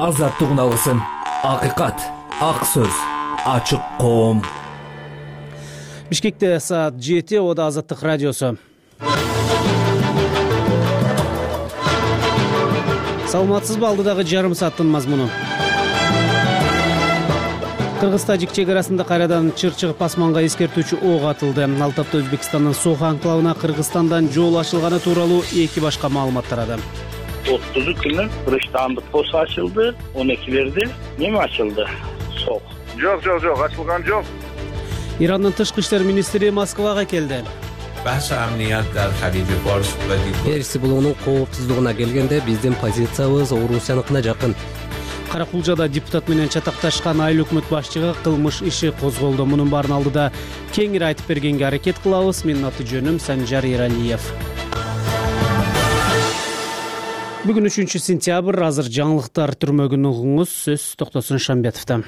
азаттык алсын. Акыйкат, ак сөз, ачык коом. Бишкекте саат 7, Ода Азаттык радиосу. Саламатсызбы, алдыдагы жарым сааттын мазмуну. Кыргыз-Тажик чек арасында кайрадан чыр-чыгып асманга эскертүүчү ок атылды. Ал тапта Өзбекстандын Сохо анклавына Кыргызстандан жол ачылганы тууралуу эки башка маалымат тарады. 30 күнү Кыргызстандык пост ачылды, 12-лерде неме ачылды? Сок. Жок, ачылган жок. Ирандын тышкы иштер министри Москвага келди. Перси булуунун коопсуздугуна келгенде биздин позициябыз Орусияныкына жакын. Каракулжада депутат менен чатакташкан айыл өкмөт башчыга кылмыш иши козголду. Мунун баарын алдыда кеңири айтып бергенге аракет кылабыз. Менин аты жөнүм Санжар Эралиев. Бүгүн 3-сентябрь, азыр жаңылыктар түрмөгүн угуңуз. Сөз Токтосун Шамбетовдон.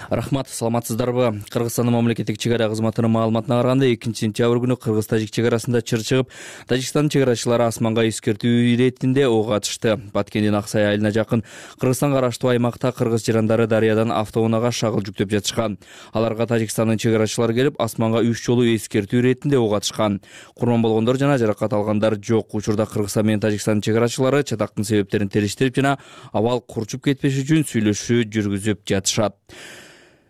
Рахмат, саламатсыздарбы? Кыргызстандын мамлекеттик чек ара кызматынын маалыматына караганда 2-сентябрь күнү Кыргыз-Тажик чек арасында чыр чыгып, Тажикстандын чек арачылары асманга эскертүү иретинде ок атышты. Баткендин Аксай айылына жакын Кыргызстанга караштуу аймакта кыргыз жарандары дарыядан автоунаага шагыл жүктөп жатышкан. Аларга Тажикстандын чек арачылары келип, асманга 3 жолу эскертүү иретинде ок атышкан. Курман болгондор жана жаракат алгандар жок. Учурда Кыргызстан менен Тажикстандын чек арачылары чатактын себептерин териштирип жана абал курчуп кетпеш үчүн сүйлөшүү жүргүзүп жатышат.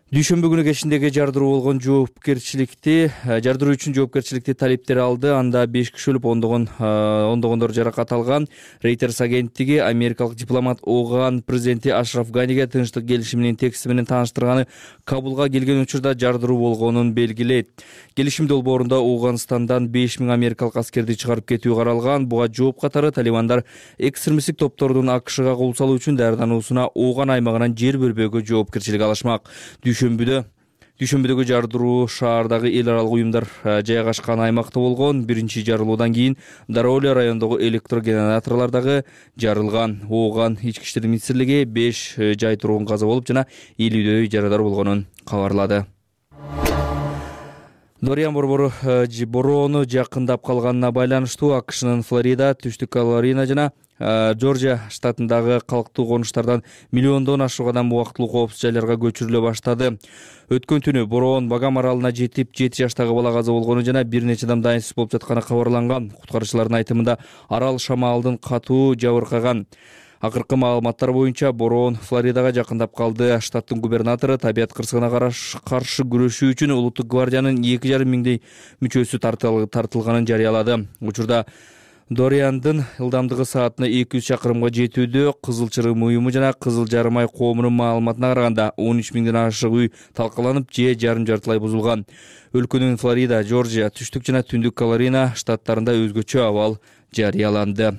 Дүйшөмбү күнү кечиндеги жардыруу болгон жардыруу үчүн жоопкерчиликти талептер алды. Анда 5 киши өлүп, ондогондор жаракат алган. Reuters агенттиги америкалык дипломат Оган президенти Ашраф Ганиге тынчтык келишиминин тексти менен тааныштырганы Кабулга келген учурда жардыруу болгонун белгилейт. Келишим долбоорунда Ооганстандан 5000 америкалык аскерди чыгарып кетүү каралган. Буга жооп катары талибандар экстремисттик топтордун АКШга кол салуу үчүн даярдануусуна Ооган аймагынан жер бербөөгө жоопкерчилик алышмак. Дүйшөмбүдөгү жардыруу шаардагы эл аралык уюмдар жайгашкан аймакта болгон. Биринчи жарылуудан кийин Дароля районундагы электрогенераторлор дагы жарылган. Ооган ички иштер министрлиги 5 жай тургун каза болуп жана 50дөй жарадар болгонун кабарлады. Дориан бороону жакындап калганына байланыштуу АКШнын Флорида, Түштүк Каролина жана Жоржия штатындагы калктуу конуштардан миллиондон ашук адам убактылуу коопсуз жайларга көчүрүлө баштады. Өткөн түнү бороон Багам аралына жетип, 7 жаштагы бала каза болгону жана бир нече адам дайынсыз болуп жатканы кабарланган. Куткаруучулардын айтымында арал шамалдын катуу жабыркаган. Акыркы маалыматтар боюнча бороон Флоридага жакындап калды. Штаттын губернатору табият кырсыгына каршы күрөшүү үчүн улуттук гвардиянын 2,5 миңдей мүчөсү тартылганын жарыялады. Учурда Дориандын ылдамдыгы саатына 200 чакырымга жетүүдө. Кызыл чырым уюму жана Кызыл жарым ай коомунун маалыматына караганда 13 миңден ашык үй талкаланып, же жарым-жартылай бузулган. Өлкөнүн Флорида, Жоржия, Түштүк жана Түндүк Каролина штаттарында өзгөчө абал жарыяланды.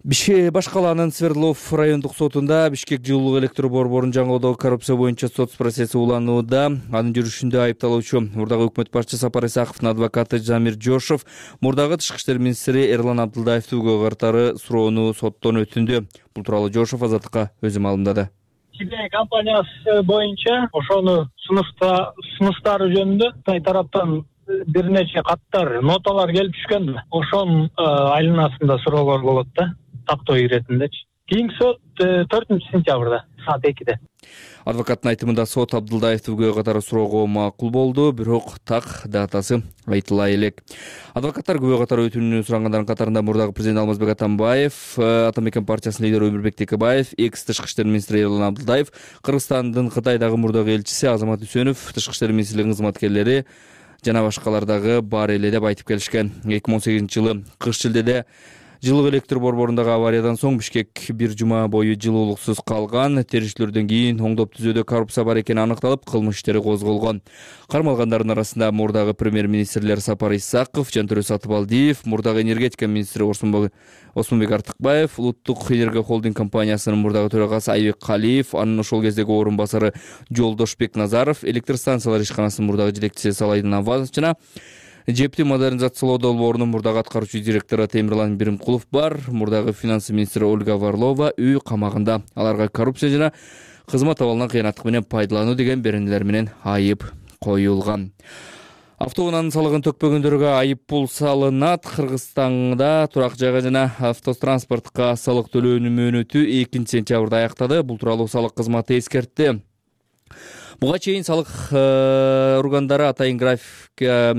Башкаланын Свердлов райондук сотунда Бишкек жылуулук электр борборун жаңылоодогу коррупция боюнча сот процесси уланууда. Анын жүрүшүндө айыпталуучу мурдагы өкмөт башчы Сапар Исаковдун адвокаты Замир Жошов мурдагы тышкы иштер министри Эрлан Абдылдаевди күбө катары суроону соттон өтүндү. Бул тууралуу Жошов Азаттыкка өзү маалымдады. Сибирь компаниясы боюнча ошону сунуштары жөнүндө Кытай тараптан бир нече каттар, ноталар келип түшкөн. Ошонун айланасында суроолор болот да. Тактоо иретиндечи. Кийинки сот 4-сентябрда саат 2-де. Адвокаттын айтымында сот Абдылдаевди күбө катары суроого макул болду, бирок так датасы айтыла элек. Адвокаттар күбө катары өтүүнү сурагандардын катарында мурдагы президент Алмазбек Атамбаев, Ата мекен партиясынын лидери Өмүрбек Текебаев, экс-тышкы иштер министри Эрлан Абдылдаев, Кыргызстандын Кытайдагы мурдагы элчиси Азамат Үсөнов, тышкы иштер министрлигинин кызматкерлери жана башкалар дагы бар эле деп айтып келишкен. 2018-жылы кыш шилдеде жылуулук электр борборундагы авариядан соң Бишкек бир жума бою жылуулуксуз калган. Териштирүүдөн кийин оңдоп түзүүдө коррупция бар экени аныкталып, кылмыш иштери козголгон. Кармалгандардын арасында мурдагы премьер-министрлер Сапар Исаков, Жантөрө Сатыбалдиев, мурдагы энергетика министри Осмонбек Артыкбаев, Улуттук энергия холдинг компаниясынын мурдагы төрагасы Айбек Калиев, анын ошол кездеги орун басары Жолдошбек Назаров, электр станциялар ишканасынын мурдагы жетекчиси Салайдын Авазов жана ЖЭПти модернизациялоо долбоорунун мурдагы аткаруучу директору Темирлан Биримкулов бар. Мурдагы финансы министри Ольга Варлова үй камагында. Аларга коррупция жана кызмат абалынан кыянаттык менен пайдалануу деген беренелер менен айып коюлган. Автоунаанын салыгын төкпөгөндөргө айып пул салынат. Кыргызстанда турак жайга жана автотранспортко салык төлөөнүн мөөнөтү 2-сентябрда аяктады. Бул тууралуу салык кызматы эскертти. Буга чейин салык органдары атайын графикке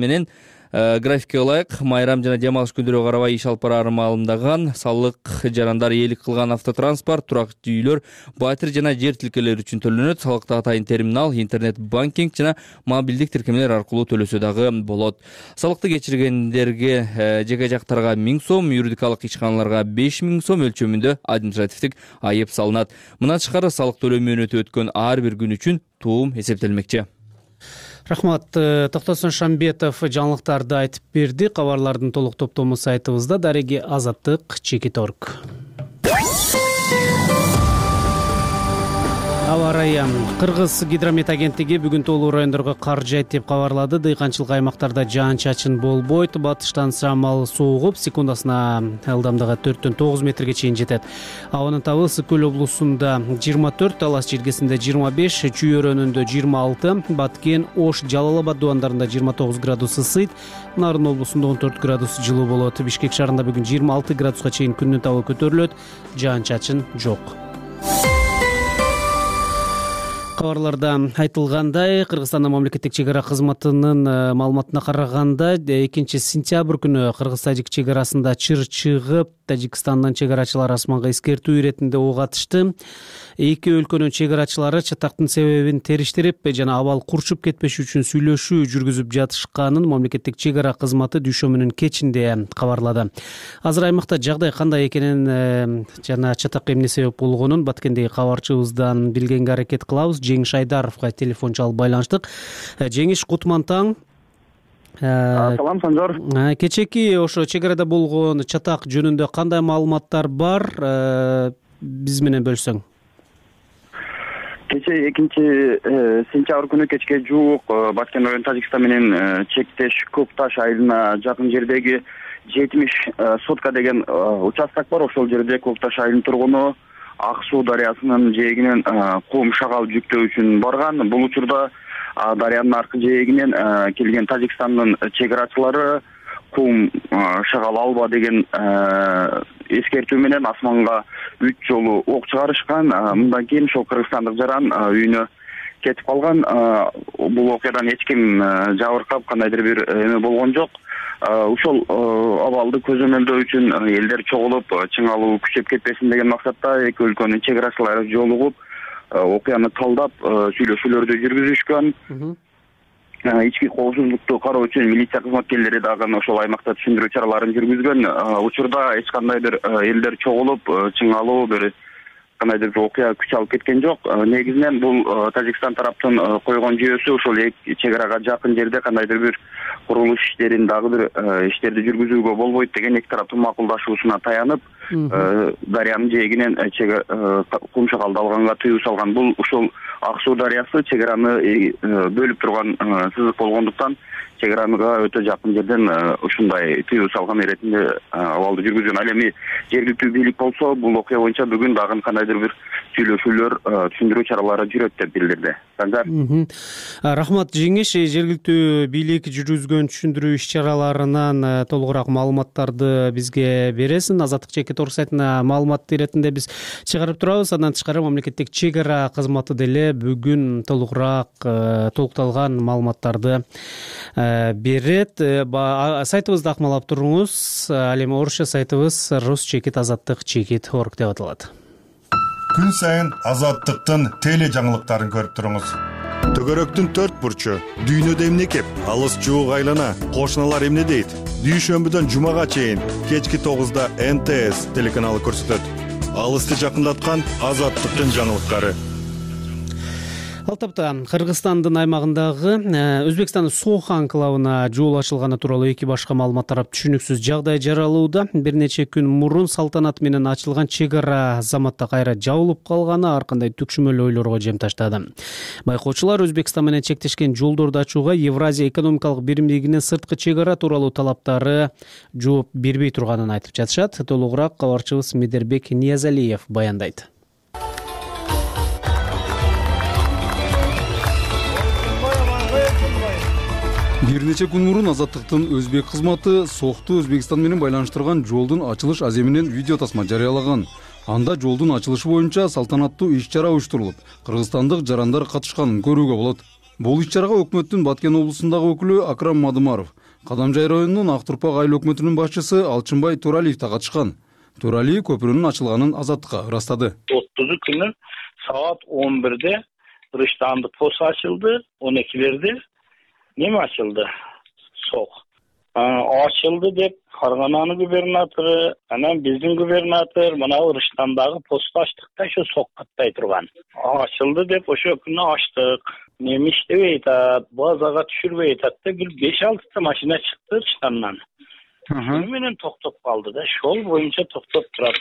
ылайык майрам жана дем алыш күндөрүгө карабай иш алып бараарын маалымдаган. Салык жарандар ээлик кылган автотранспорт, турак үйлөр, батир жана жер тилкелери үчүн төлөнөт. Салыкты атайын терминал, интернет банкинг жана мобилдик тиркемелер аркылуу төлөсө дагы болот. Салыкты кечиргендерге жеке жактарга 1000 сом, юридикалык ишканаларга 5000 сом өлчөмүндө административдик айып салынат. Мындан тышкары салык төлөө мөөнөтү өткөн ар бир күн үчүн туум эсептелмекчи. Рахмат. Токтосун Шамбетов жаңылыктарды айтып берди. Кабарлардын толук топтому сайтыбызда. Дареги Азаттык, Чекит.орг. Аба ырайы. Кыргыз гидромет агенттиги бүгүн тоолуу райондорго кар жайт деп кабарлады. Дыйканчылык аймактарда жаан-чачын болбойт. Батыштан шамал суугуп, секундасына ылдамдыгы 4-9 метрге чейин жетет. Абанын табы Ысык көл облусунда 24, Талас жергесинде 25, Чүй өрөөнүндө 26, Баткен, Ош, Жалал Абад дубандарында 29 градус ысыйт. Нарын облусунда 14 градус жылуу болот. Бишкек шаарында бүгүн 26 градуска чейин күндүн табы көтөрүлөт. Жаан-чачын жок. Кабарларда айтылгандай, Кыргызстандын мамлекеттик чек ара кызматынын маалыматына караганда 2-сентябрь күнү Кыргыз-Тажик чек арасында чыр чыгып, Тажикстандан чек арачылар асманга эскертүү иретинде ок атышты. Эки өлкөнүн чек арачылары чатактын себебин териштирип жана абал курчуп кетпеш үчүн сүйлөшүү жүргүзүп жатышканын мамлекеттик чек ара кызматы дүйшөмүнүн кечинде кабарлады. Азыр аймакта жагдай кандай экенин жана чатакка эмне себеп болгонун Баткендеги кабарчыбыздан билгенге аракет кылабыз. Жеңиш Айдаровго телефон чалып байланыштык. Жеңиш, кутман таң. Салам, Санжар. Кечеки ошо чек арада болгон чатак жөнүндө кандай маалыматтар бар? Биз менен бөлсөң. Кече 2-сентябрь күнү кечке жуук Баткен району Тажикстан менен чектеш Көкташ айылына жакын жердеги 70 сотка деген участок бар. Ошол жерде Көкташ айылынын тургуну Ак суу дарыясынын жээгинен кум шагал жүктөө үчүн барган. Бул учурда дарыянын аркы жээгинен келген Тажикстандын чек арачылары кум шагал алба деген эскертүү менен асманга 3 жолу ок чыгарышкан. Мындан кийин ошол кыргызстандык жаран үйүнө кетип калган. Бул окуядан эч ким жабыркап кандайдыр бир эме болгон жок. Ушул абалды көзөмөлдөө үчүн элдер чогулуп, чыңалуу күчөп кетпесин деген максатта эки өлкөнүн чек арачылары жолугуп, окуяны талдап, сүйлөшүүлөрдү жүргүзүшкөн. Ички коопсуздукту кароо үчүн милиция кызматкерлери дагы ошол аймакта түшүндүрүү чараларын жүргүзгөн. Учурда эч кандайдыр элдер чогулуп, чыңалуу бир кандайдыр бир окуя күч алып кеткен жок. Негизинен бул Тажикстан тараптын койгон жүйөсү ошол чек арага жакын жерде кандайдыр бир курулуш иштерин дагы бир иштерди жүргүзүүгө болбойт деген эки тараптын макулдашуусуна таянып, дарыянын жээгинен кум шагалды алганга тыюу салган. Бул ушул Ак суу дарыясы чек араны бөлүп турган сызык болгондуктан чек арага өтө жакын жерден ушундай тыюу салган иретинде абалды жүргүзгөн. Ал эми жергиликтүү бийлик болсо бул окуя боюнча бүгүн дагы кандайдыр бир сүйлөшүүлөр, түшүндүрүү чаралары жүрөт деп билдирди. Санжар. Рахмат Жеңиш, жергиликтүү бийлик жүргүзгөн түшүндүрүү иш-чараларынан толугураак маалыматтарды бизге бересиң. Азаттык Чекит.орг сайтына маалымат иретинде биз чыгарып турабыз. Андан тышкары мамлекеттик чек ара кызматы деле бүгүн толукталган маалыматтарды берет. Сайтыбызды акмалап туруңуз. Ал эми орусча сайтыбыз ruschekit.azаттык.chekit.org деп аталат. Күн сайын Азаттыктын теле жаңылыктарын көрүп туруңуз. Төгөрөктүн 4 бурчу, дүйнөдө эмне кеп, алыс жуук айлана, кошуналар эмне дейт? Дүйшөмбүдөн жумага чейин кечки 9-да НТС телеканалы көрсөтөт. Алысты жакындаткан Азаттыктын жаңылыктары. Алтапта Кыргызстандын аймагындагы Өзбекстандын Сохо анклавына жол ачылганы тууралуу эки башка маалымат тарап түшүнүксүз жагдай жаралууда. Бир нече күн мурун салтанат менен ачылган чек ара заматта кайра жабылып калганы ар кандай түкшүмөл ойлорго жем таштады. Байкоочулар Өзбекстан менен чектешкен жолдорду ачууга Евразия экономикалык биримдигинин сырткы чек ара тууралуу талаптары жооп бербей турганын айтып жатышат. Толугураак кабарчыбыз Медербек Ниязалиев баяндайт. Бир нече күн мурун Азаттыктын өзбек кызматы Сохту Өзбекстан менен байланыштырган жолдун ачылыш аземинен видео тасма жарыялаган. Анда жолдун ачылышы боюнча салтанаттуу иш-чара уюштурулуп, кыргызстандык жарандар катышканын көрүүгө болот. Бул иш-чарага өкмөттүн Баткен облусундагы өкүлү Акрам Мадымаров, Кадамжай районунун Ак Турпак айыл өкмөтүнүн башчысы Алчынбай Туралиев да катышкан. Туралиев көпүрөнүн ачылганын Азаттыкка ырастады. 30 күнү саат 11-де Рыштандык пост ачылды, 12-лерде неме ачылды? Сок. Ачылды деп Каргананын губернатору, анан биздин губернатор мына Рыштандагы посту ачтык да ошо сок каттай турган. Ачылды деп ошо күнү ачтык. Неме иштебей атат, базага түшүрбөй атат да бир 5-6 машина чыкты Рыштандан. Шуну менен токтоп калды да, ошол боюнча токтоп турат.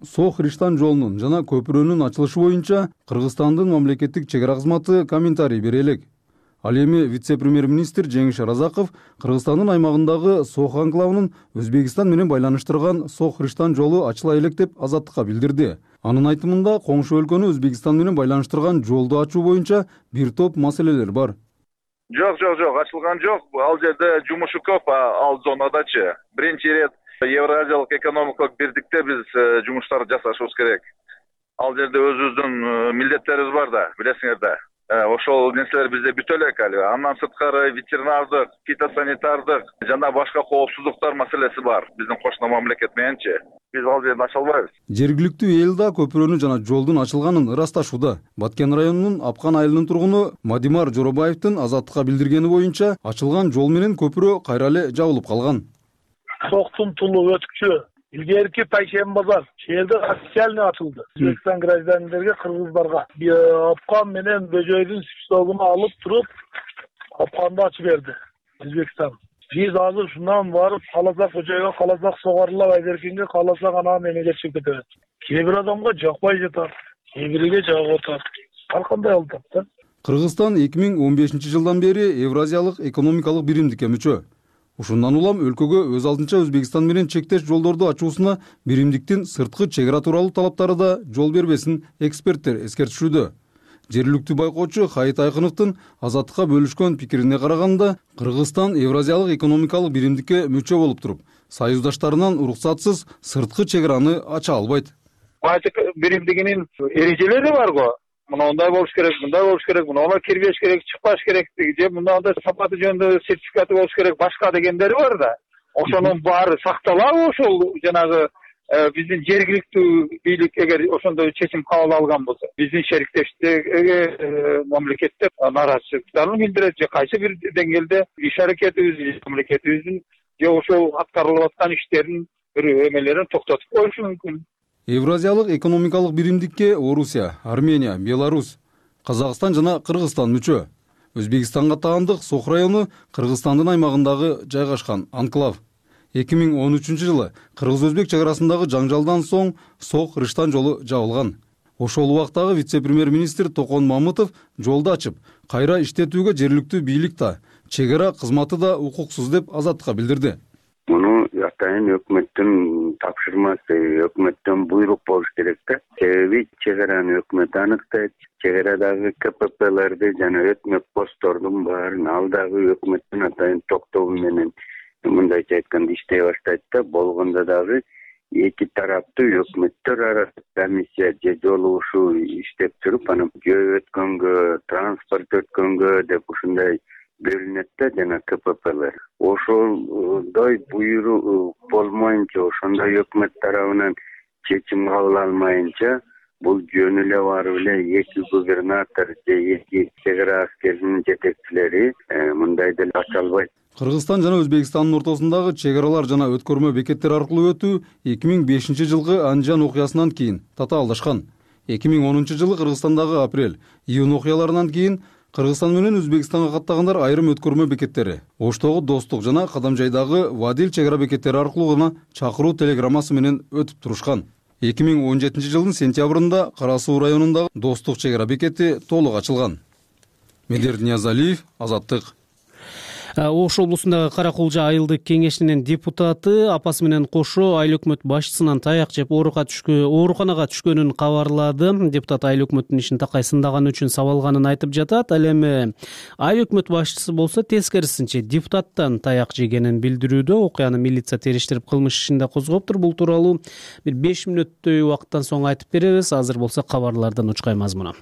Сох Риштан жолунун жана көпүрөнүн ачылышы боюнча Кыргызстандын мамлекеттик чек ара кызматы комментарий бере элек. Ал эми вице-премьер-министр Жеңиш Разаков Кыргызстандын аймагындагы Сох анклавынын Өзбекстан менен байланыштырган Сох Риштан жолу ачыла элек деп Азаттыкка билдирди. Анын айтымында коңшу өлкөнү Өзбекстан менен байланыштырган жолду ачуу боюнча бир топ маселелер бар. Жок, ачылган жок. Ал жерде жумушу көп, ал зонадачы. Биринчи ирет Евразиялык экономикалык бирдикте биз жумуштарды жасашыбыз керек. Ал жерде өзүбүздүн милдеттерибиз бар да, билесиңер да. Ошол нерселер бизде бүтө элек али. Андан сырткары ветеринардык, фитосанитардык жана башка коопсуздуктар маселеси бар. Биздин кошуна мамлекет мененчи. Биз ал жерди ача албайбыз. Жергиликтүү эл да көпүрөнү жана жолдун ачылганын ырасташууда. Баткен районунун Апкан айылынын тургуну Мадимар Жоробаевдин Азаттыкка билдиргени боюнча ачылган жол менен көпүрө кайра эле жабылып калган. Соктун тулу өткүчү илгерки Пайшем базар жерде официально ачылды. Өзбекстан граждандарга, кыргыздарга Апкан менен Бөжөйдүн списогуна алып туруп Апканды ачып берди Өзбекстан. Биз азыр шундан барып каласак Бөжөйгө, каласак Согарылап Айдеркинге, каласак анан эмеге чыгып кетебиз. Кээ бир адамга жакпай жатат, кээ бириге жагып атат. Ар кандай алып да. Кыргызстан 2015-жылдан бери Евразиялык экономикалык биримдикке мүчө. Ушундан улам өлкөгө өз алдынча Өзбекстан менен чектеш жолдорду ачуусуна биримдиктин сырткы чек ара тууралуу талаптары да жол бербесин эксперттер эскертишүүдө. Жергиликтүү байкоочу Хайыт Айкыновдун Азаттыкка бөлүшкөн пикирине караганда, Кыргызстан Евразиялык экономикалык биримдикке мүчө болуп туруп, союздаштарынан уруксатсыз сырткы чек араны ача албайт. Биримдигинин эрежелери бар го. Мындай болуш керек, мындай болуш керек, мына кирбеш керек, чыкпаш керек, же мындай сапаты жөнүндө сертификаты болуш керек, башка дегендери бар да. Ошонун баары сакталабы ошол жанагы биздин жергиликтүү бийлик эгер ошондой чечим кабыл алган болсо, биздин шериктештиги мамлекеттер нааразычылыктарын билдирет, же кайсы бир деңгээлде иш аракетибиз, мамлекетибиздин же ошол аткарылып аткан иштердин бир эмелерин токтотуп коюшу мүмкүн. Евразиялык экономикалык биримдикке Орусия, Армения, Беларусь, Казакстан жана Кыргызстан мүчө. Өзбекстанга таандык Сох району Кыргызстандын аймагындагы жайгашкан анклав. 2013-жылы кыргыз-өзбек чек арасындагы жаңжалдан соң Сох Риштан жолу жабылган. Ошол убактагы вице-премьер-министр Токон Мамытов жолду ачып, кайра иштетүүгө жергиликтүү бийлик да, чек ара кызматы да укуксуз деп Азаттыкка билдирди. Муну атайын өкмөттүн тапшырмасы, өкмөттөн буйрук болуш керек да. Себеби чек араны өкмөт аныктайт, чек арадагы КППлерди жана өкмөт посттордун баарын ал дагы өкмөттүн атайын токтогу менен мындайча айтканда иштей баштайт да. Болгондо дагы эки тараптуу өкмөттөр арасында комиссия же жолугушуу иштеп туруп, анан жөө өткөнгө, транспорт өткөнгө деп ушундай бөлүнөт да жана КППлер. Ошондой буйрук болмоюнча, ошондой өкмөт тарабынан чечим кабыл алмайынча, бул жөн эле барып эле эки губернатор же эки чек ара аскеринин жетекчилери мындай деле ача албайт. Кыргызстан жана Өзбекстандын ортосундагы чек аралар жана өткөрмө бекеттер аркылуу өтүү 2005-жылкы Анжан окуясынан кийин татаалдашкан. 2010-жылы Кыргызстандагы апрель-июнь окуяларынан кийин Кыргызстан менен Өзбекстанга каттагандар айрым өткөрмө бекеттери, Оштогу Достук жана Кадамжайдагы Вадил чек ара бекеттери аркылуу гана чакыруу телеграммасы менен өтүп турушкан. 2017-жылдын сентябрында Кара Суу районундагы Достук чек ара бекети толук ачылган. Медер Ниязалиев, Азаттык. Ош облусундагы Кара Кулжа айылдык кеңешинин депутаты апасы менен кошо айыл өкмөт башчысынан таяк жеп ооруканага түшкөнүн кабарлады. Депутат айыл өкмөттүн ишин такай сындаганы үчүн сабалганын айтып жатат. Ал эми айыл өкмөт башчысы болсо тескерисинче депутаттан таяк жегенин билдирүүдө. Окуяны милиция териштирип кылмыш ишин да козгоптур. Бул тууралуу бир 5 мүнөттөй убакыттан соң айтып беребиз. Азыр болсо кабарлардын учкай мазмуну.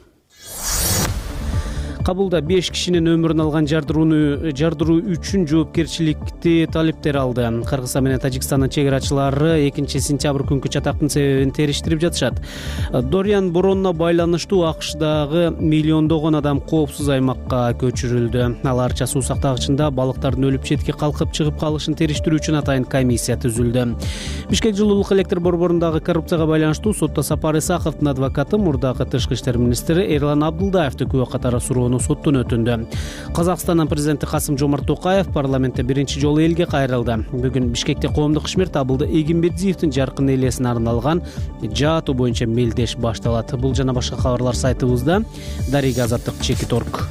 Кабулда 5 кишинин өмүрүн алган жардыруу үчүн жоопкерчиликти талептер алды. Кыргызстан менен Тажикстандын чек арачылары 2-сентябрь күнкү чатактын себебин териштирип жатышат. Дориан бороонула байланыштуу АКШдагы миллиондогон адам коопсуз аймакка көчүрүлдү. Алар суу сактагычында балыктардын өлүп четке калкып чыгып калышын териштирүү үчүн атайын комиссия түзүлдү. Бишкек жылуулук электр борборундагы коррупцияга байланыштуу сотто Сапар Исаковдун адвокаты мурдагы тышкы иштер министри Эрлан Абдулдаевди күбө катары суроону соттун өтүндү. Казакстандын президенти Касым-Жомарт Токаев парламентте биринчи жолу элге кайрылды. Бүгүн Бишкекте коомдук ишмер Абылды Эгимбердиевдин жаркын элесине арналган жаатуу боюнча мелдеш башталат. Бул жана башка кабарлар сайтыбызда. Дарига Азаттык Чекит.орг.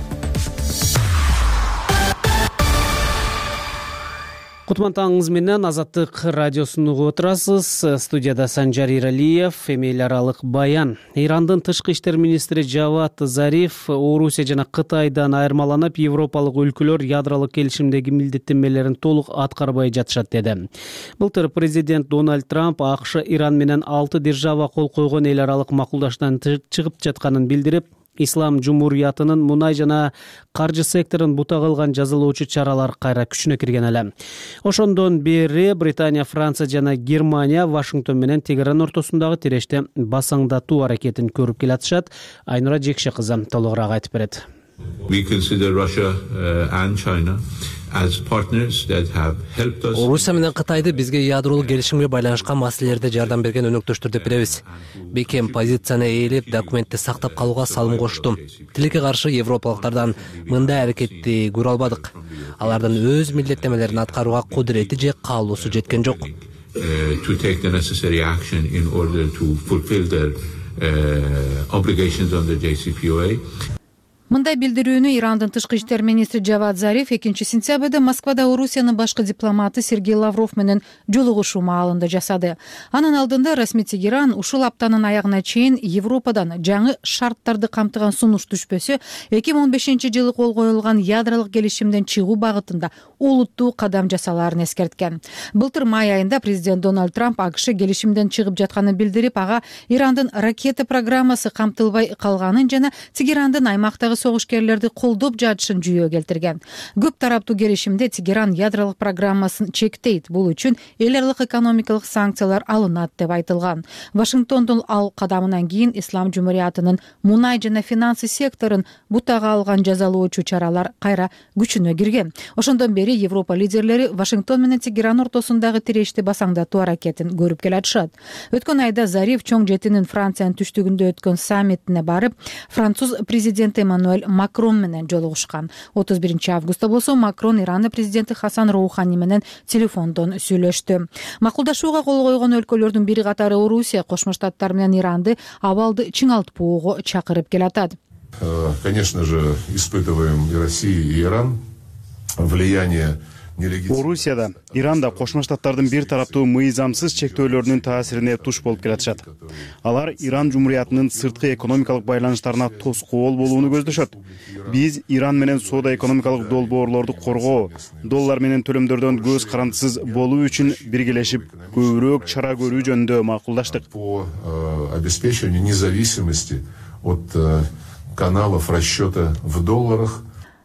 Кутман таңыңыз менен Азаттык радиосун угуп отурасыз. Студияда Санжар Иралиев, эми эл аралык баян. Ирандын тышкы иштер министри Жавад Зариф Орусия жана Кытайдан айырмаланып, европалык өлкөлөр ядролук келишимдеги милдеттенмелерин толук аткарбай жатышат деди. Былтыр президент Дональд Трамп АКШ Иран менен 6 держава кол койгон эл аралык макулдаштан чыгып жатканын билдирип, Ислам Жумуриятынын мунай жана каржы секторун бута кылган жазалоочу чаралар кайра күчүнө кирген эле. Ошондон бери Британия, Франция жана Германия Вашингтон менен Тегеран ортосундагы тиреште басаңдатуу аракетин көрүп келатышат. Айнура Жекше кызы толугураак айтып берет. Орусия менен Кытайды бизге ядролук келишимге байланышкан маселелерде жардам берген өнөктөштөр деп билебиз. Бекем позицияны ээлеп, документти сактап калууга салым кошту. Тилекке каршы европалыктардан мындай аракетти көрө албадык. Алардын өз милдеттенмелерин аткарууга кудурети же каалоосу жеткен жок. Мындай билдирүүнү Ирандын тышкы иштер министри Жавад Зариф 2-сентябрда Москвада Орусиянын башкы дипломаты Сергей Лавров менен жолугушуу маалында жасады. Анын алдында расмий Тегеран ушул аптанын аягына чейин Европадан жаңы шарттарды камтыган сунуш түшпөсө 2015-жылы кол коюлган ядролук келишимден чыгуу багытында олуттуу кадам жасалаарын эскерткен. Былтыр май айында президент Дональд Трамп АКШ келишимден чыгып жатканын билдирип, ага Ирандын ракета программасы камтылбай калганын жана Тегерандын аймактагы согушкерлерди колдоп жатышын жүйө келтирген. Көп тараптуу келишимде Тегеран ядролук программасын чектейт. Бул үчүн эл аралык экономикалык санкциялар алынат деп айтылган. Вашингтондун ал кадамынан кийин Ислам Жумуриятынын мунай жана финансы секторун бутага алган жазалоочу чаралар кайра күчүнө кирген. Ошондон бери Европа лидерлери Вашингтон менен Тегеран ортосундагы тирешти басаңдатуу аракетин көрүп келатышат. Өткөн айда Зариф чоң жетинин Франциянын түштүгүндө өткөн саммитине барып, француз президенти Эммануэль Макрон менен жолугушкан. 31-августта болсо Макрон Ирандын президенти Хасан Роухани менен телефондон сүйлөштү. Макулдашууга кол койгон өлкөлөрдүн бири катары Орусия, Кошмо Штаттар менен Иранды абалды чыңалтпоого чакырып келатат. Конечно же, испытываем и Россия, и Иран влияние. Орусияда, Иранда Кошмо Штаттардын бир тараптуу мыйзамсыз чектөөлөрүнүн таасирине туш болуп келатышат. Алар Иран Жумуриятынын сырткы экономикалык байланыштарына тоскоол болууну көздөшөт. Биз Иран менен соода экономикалык долбоорлорду коргоо, доллар менен төлөмдөрдөн көз карандысыз болуу үчүн биргелешип көбүрөөк чара көрүү жөнүндө макулдаштык. По обеспечению независимости от каналов расчета в долларах,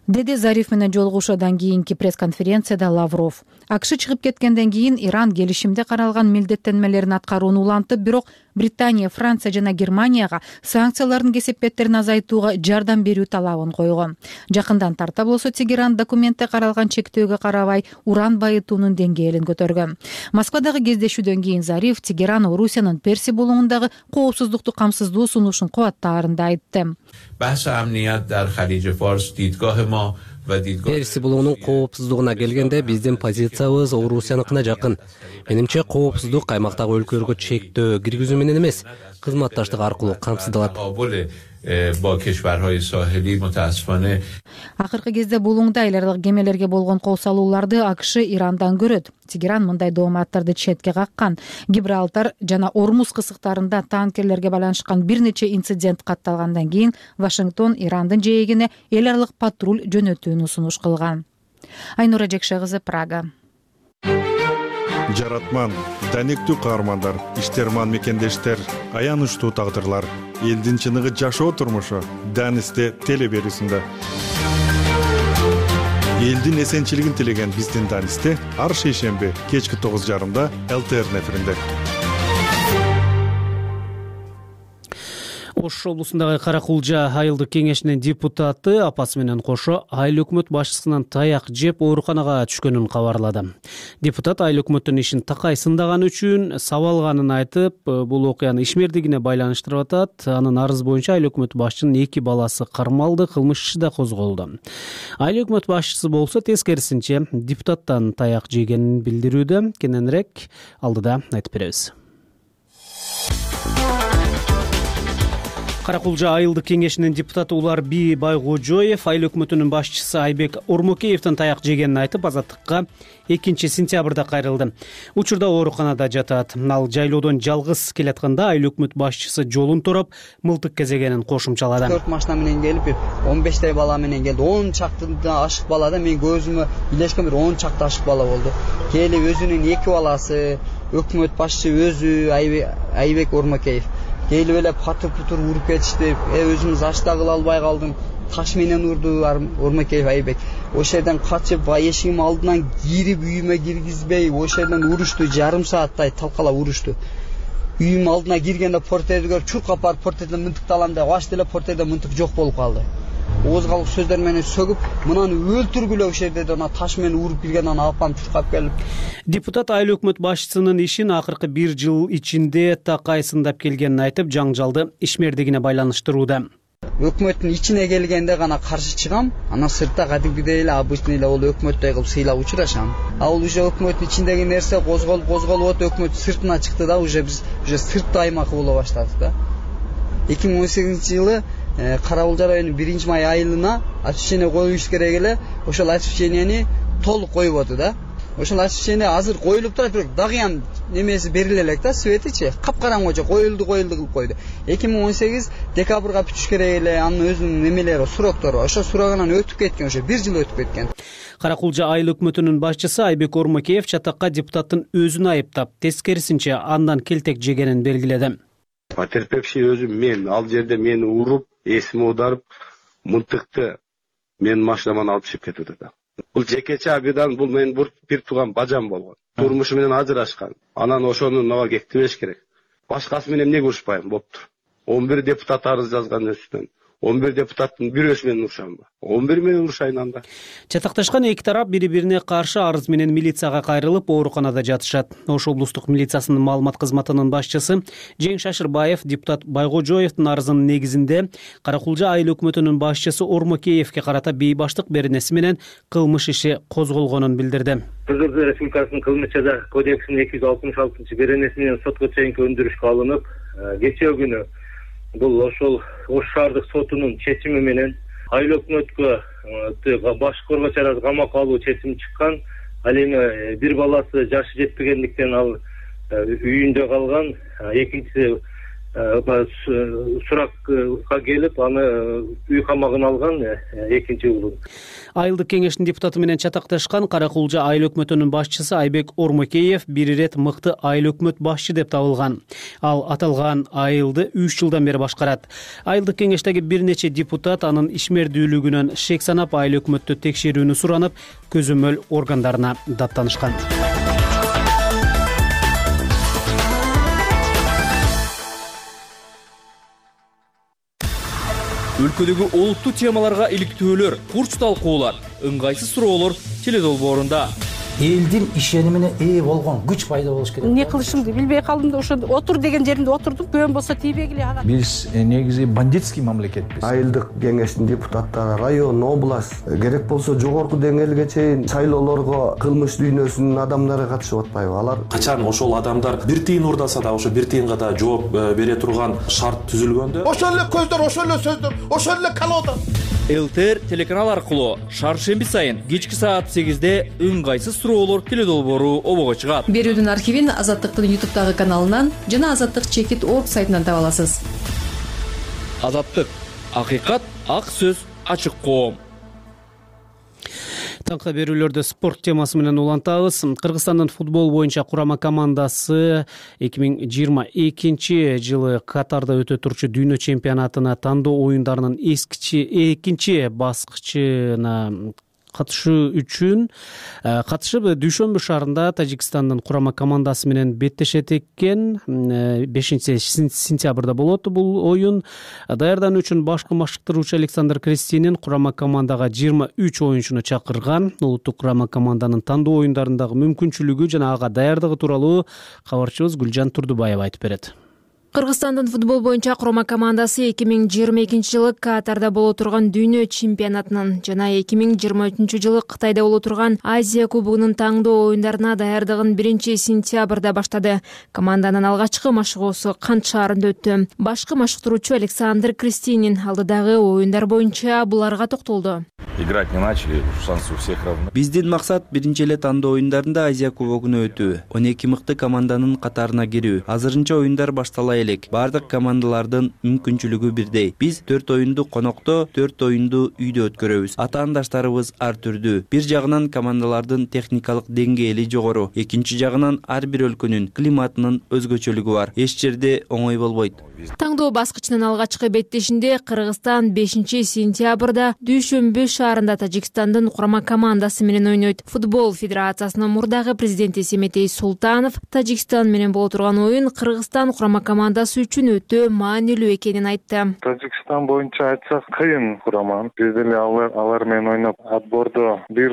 деди Зариф менен жолугушуудан кийинки пресс-конференцияда Лавров. АКШ чыгып кеткенден кийин Иран келишимде каралган милдеттенмелерин аткарууну улантып, бирок Британия, Франция жана Германияга санкциялардын кесепеттерин азайтууга жардам берүү талабын койгон. Жакындан тарта болсо Тегеран документте каралган чектөөгө карабай уран байытуунун деңгээлин көтөргөн. Москвадагы кездешүүдөн кийин Зариф Тегеран Орусиянын Перси булугундагы коопсуздукту камсыздоо сунушун кубаттаарын да айтты. Перси булугунун коопсуздугуна келгенде биздин позициябыз Орусияныкына жакын. Менимче коопсуздук аймактагы өлкөлөргө чектөө киргизүү менен эмес, кызматташтык аркылуу камсыздалат. با کشورهای ساحلی متاسفانه акыркы кезде булуңда эл аралык кемелерге болгон кол салууларды АКШ Ирандан көрөт. Тегеран мындай дооматтарды четке каккан. Гибралтар жана Ормуз кысыктарында танкерлерге байланышкан бир нече инцидент катталгандан кийин Вашингтон Ирандын жээгине эл аралык патруль жөнөтүүнү сунуш кылган. Айнура Жекше кызы, Прага. Жаратман, данектүү каармандар, иштерман мекендештер, аянычтуу тагдырлар, элдин чыныгы жашоо турмушу Данисте теле берүүсүндө. Элдин эсенчилигин тилеген биздин Данисте ар шейшемби кечки 9:30 ЛТР эфиринде. Ош облусундагы Каракулжа айылдык кеңешинин депутаты апасы менен кошо айыл өкмөт башчысынан таяк жеп ооруканага түшкөнүн кабарлады. Депутат айыл өкмөттүн ишин такай сындаганы үчүн сабалганын айтып, бул окуяны ишмердигине байланыштырып атат. Анын арызы боюнча айыл өкмөт башчынын 2 баласы кармалды, кылмыш иши да козголду. Айыл өкмөт башчысы болсо тескерисинче депутаттан таяк жегенин билдирүүдө. Кененирээк алдыда айтып беребиз. Каракулжа айылдык кеңешинин депутаты Уларби Байгожоев айыл өкмөтүнүн башчысы Айбек Ормокеевдин таяк жегенин айтып, азаттыкка 2-сентябрда кайрылды. Учурда ооруканада жатат. Ал жайлоодон жалгыз келатканда айыл өкмөт башчысы жолун тороп, мылтык кезегенин кошумчалады. 4 машина менен келип, 15 бала менен келди. 10 чактыдан ашык бала да мен көзүмө билешкен бир 10 чакты ашык бала болду. Келип өзүнүн 2 баласы, өкмөт башчысы өзү Айбек Ормокеев келип эле патыр-путур уруп кетишти. Өзүмүз ашта кыла албай калдым. Таш менен урду Ормокеев Айбек. Ошол жерден качып, эшигим алдынан кирип, үйүмө киргизбей, ошол жерден урушту, жарым сааттай талкалап урушту. Үйүм алдына киргенде портерди көрүп, чуркап барып портерден мынтыкты алам деп, аш деле портерде мынтык жок болуп калды. Оозгалык сөздөр менен сөгүп, мынаны өлтүргүлө ошол жерде ана таш менен уруп кирген, аны алып калып чуркап келип. Депутат айыл өкмөт башчысынын ишин акыркы 1 жыл ичинде такай сындап келгенин айтып, жаңжалды ишмердигине байланыштырууда. Өкмөттүн ичине келгенде гана каршы чыгам, анан сыртта кадимгидей эле обычный эле ол өкмөттөй кылып сыйлап учурашам. Ал уже өкмөттүн ичиндеги нерсе козголуп атып, өкмөт сыртына чыкты да, уже биз сыртта аймак боло баштадык да. 2018-жылы Каракулжа районунун 1-май айылына отчисление коюш керек эле, ошол отчисленияны толук коюп да. Ошол отчисление азыр коюлуп турат, бирок дагы немеси бериле элек да, светичи капкараңгыча коюлду кылып койду. 2018 декабрга бүтүш керек эле, анын өзүнүн немелери, суроктору. Ошо сурогунан өтүп кеткен, ошо 1 жыл өтүп кеткен. Каракулжа айыл өкмөтүнүн башчысы Айбек Ормокеев чатакка депутаттын өзүн айыптап, тескерисинче андан келтек жегенин белгиледи. Потерпевший өзүм мен, ал жерде мени уруп, эсими аударып, мынтыкты мен машинаман алып чыгып кетти да. Бул жекече абидан, бул менин бир тууган бажам болгон. Турмушу менен ажырашкан. Анан ошону мага кектебеш керек. Башкасы менен эмнеге урушпайм болуптур. 11 депутат арыз жазган үстүнөн. 11 депутаттын бирөөсү менен урушамбы? 11 менен урушайын анда. Чатакташкан эки тарап бири-бирине каршы арыз менен милицияга кайрылып, ооруканада жатышат. Ош облустук милициясынын маалымат кызматынын башчысы Жең Шашырбаев депутат Байгожоевдун арызынын негизинде Каракулжа айыл өкмөтүнүн башчысы Ормокеевке карата бейбаштык беренеси менен кылмыш иши козголгонун билдирди. Кыргыз Республикасынын кылмыш жаза кодексинин 266-беренеси менен сотко чейинки өндүрүшкө алынып, кечээ күнү бул ошол Ош шаардык сотунун чечими менен айыл өкмөткө баш коргоочу аракы камакка алуу чечими чыккан. Ал эми бир баласы жашы жетпегендиктен ал үйүндө калган. Экинчиси суракка келип, аны үй камагына алган экинчи уулун. Айылдык кеңештин депутаты менен чатакташкан Каракулжа айыл өкмөтүнүн башчысы Айбек Ормокеев бир ирет мыкты айыл өкмөт башчы деп табылган. Ал аталган айылды 3 жылдан бери башкарат. Айылдык кеңештеги бир нече депутат анын ишмердүүлүгүнөн шек санап айыл өкмөттү текшерүүнү суранып, көзөмөл органдарына даттанышкан. Өлкөдөгү олуттуу темаларга иликтөөлөр, курч талкуулар, ыңгайсыз суроолор теледолбоорунда. элдин ишенимине ээ болгон күч пайда болуш керек. Эмне кылышымды билбей калдым да ошо отур деген жеримде отурдум. Көн болсо тийбегиле ага. Биз негизи бандитский мамлекетпиз. Айылдык кеңештин депутаттары, район, область, керек болсо жогорку деңгээлге чейин шайлоолорго кылмыш дүйнөсүнүн адамдары катышып атпайбы? Алар качан ошол адамдар бир тыйын урдаса да ошо бир тыйынга да жооп бере турган шарт түзүлгөндө ошол эле көздөр, ошол эле сөздөр, ошол эле колода. ЛТР телеканал аркылуу шаршемби сайын кечки саат 8-де ыңгайсыз суроолор теледолбоору обого чыгат. Берүүдүн архивин Азаттыктын YouTube'дагы каналынан жана Азаттык чекит орг сайтынан таба аласыз. Азаттык, акыйкат, ак сөз, ачык коом. Таңкы берүүлөрдө спорт темасы менен улантабыз. Кыргызстандын футбол боюнча курама командасы 2022 жылы Катарда өтө турчу дүйнө чемпионатына тандоо оюндарынын экинчи баскычына катышып Дүйшөмбү шаарында Тажикстандын курама командасы менен беттешет экен. 5-сентябрда болот бул оюн. Даярдануу үчүн башкы машыктыруучу Александр Крестинин курама командага 23 оюнчуну чакырган. Улуттук курама команданын тандоо оюндарындагы мүмкүнчүлүгү жана ага даярдыгы тууралуу кабарчыбыз Гүлжан Турдубаева айтып берет. Кыргызстандын футбол боюнча курама командасы 2022 жылы Катарда боло турган дүйнө чемпионатынын жана 2023 жылы Кытайда боло турган Азия кубогунун таңдоо оюндарына даярдыгын 1-сентябрда баштады. Команданын алгачкы машыгуусу Кант шаарында өттү. Башкы машыктыруучу Александр Крестинин алдыдагы оюндар боюнча буларга токтолду. Играть не начали, шансы у всех равны. Биздин максат биринчи эле тандоо оюндарында Азия кубогуна өтүү, 12 мыкты команданын катарына кирүү. Азырынча оюндар баштала элек. Бардык командалардын мүмкүнчүлүгү бирдей. Биз 4 оюнду конокто, 4 оюнду үйдө өткөрөбүз. Атаандаштарыбыз ар түрдүү. Бир жагынан командалардын техникалык деңгээли жогору, экинчи жагынан ар бир өлкөнүн климатынын өзгөчөлүгү бар. Эч жерде оңой болбойт. Таңдоо баскычынын алгачкы беттешинде Кыргызстан 5-сентябрда Дүйшөмбү шаарында Тажикстандын курама командасы менен ойнойт. Футбол федерациясынын мурдагы президенти Семетей Султанов Тажикстан менен боло турган оюн Кыргызстан курама командасы үчүн өтө маанилүү экенин айтты. Тажикстан боюнча айтсак кыйын курама. Биз деле алар менен ойноп отбордо бир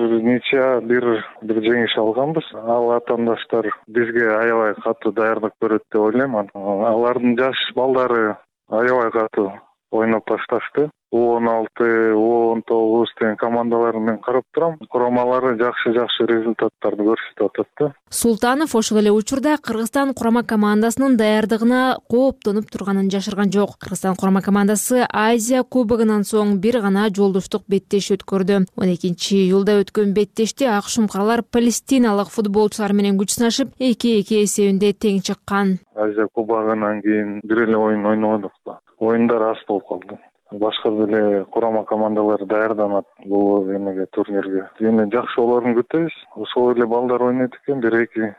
жеңиш алганбыз. Ал атаандаштар бизге аябай катуу даярдык көрөт деп ойлойм. Алардын жаш балдары аябай катуу ойноп башташты. U16, U19 деген командаларын мен карап турам. Курамалары жакшы результаттарды көрсөтүп атат. Султанов ошол эле учурда Кыргызстан курама командасынын даярдыгына кооптонуп турганын жашырган жок. Кыргызстан курама командасы Азия кубогунан соң бир гана жолдоштук беттеш өткөрдү. 12-июлда өткөн беттеште ак шумкарлар палестиналык футболчулар менен күч сынашып 2-2 эсебинде тең чыккан. Азия кубогунан кийин бир эле оюн ойнодук. Оюндар аз болуп калды. Башка деле курама командалар даярданат бул эмеге турнирге. Эми жакшы болорун күтөбүз. Ошол эле балдар ойнойт экен, 1-2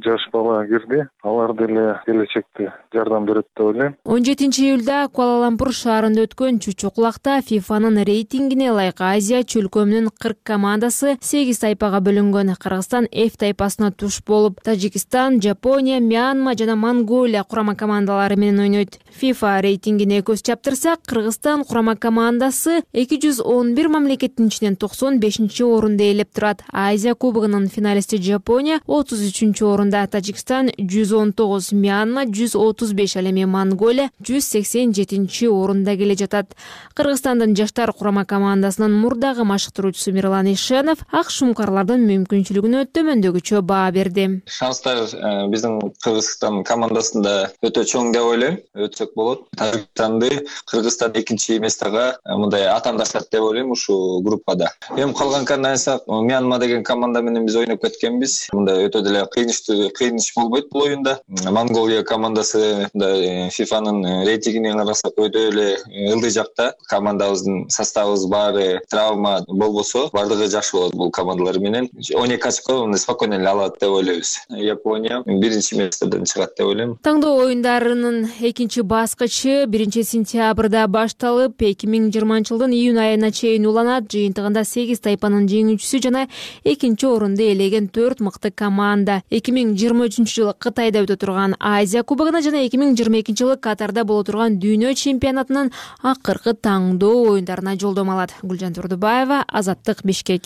жаш бала кирди. Алар деле келечекте жардам берет деп ойлойм. 17-июлда Куала-Лумпур шаарында өткөн чучукулакта ФИФАнын рейтингине ылайык Азия чөлкөмүнүн 40 командасы 8 тайпага бөлүнгөн. Кыргызстан F тайпасына туш болуп, Тажикстан, Жапония, Мьянма жана Монголия курама командалары менен ойнойт. ФИФА рейтингине көз чаптырсак, Кыргызстан курама командасы 211 мамлекеттин ичинен 95-орунда ээлеп турат. Азия кубогунун финалисти Жапония 33-орунда, Тажикстан 119, Мьянма 135, ал эми Монголия 187-орунда келе жатат. Кыргызстандын жаштар курама командасынын мурдагы машыктыруучусу Мирлан Ишенов ак шумкарлардын мүмкүнчүлүгүнө төмөндөгүчө баа берди. Шанстар биздин Кыргызстан командасында өтө чоң деп ойлойм. Өтсөк болот. Тажикстанды Кыргызстан экинчи местага мындай атаандашат деп ойлойм ушул группада. Эми калган кандай айтсак, Мьянма деген команда менен биз ойноп кеткенбиз. Мындай өтө деле кыйыныч болбойт бул оюнда. Монголия командасы ФИФАнын рейтингине карасак өтө эле ылдый жакта. Командабыздын составыбыз баары травма болбосо, бардыгы жакшы болот бул командалар менен. 12 очко спокойно эле алат деп ойлойбуз. Япония биринчи местеден чыгат деп ойлойм. Таңдоо оюндарынын экинчи баскычы 1-сентябрда башталып, 2020 жылдын июнь айына чейин уланат. Жыйынтыгында 8 тайпанын жеңүүчүсү жана экинчи орунду ээлеген 4 мыкты команда. 2023-жылы Кытайда өтө турган Азия кубогуна жана 2022-жылы Катарда боло турган Дүйнө чемпионатынын акыркы таңдоо оюндарына жолдомо алат. Гүлжан Турдубаева, Азаттык, Бишкек.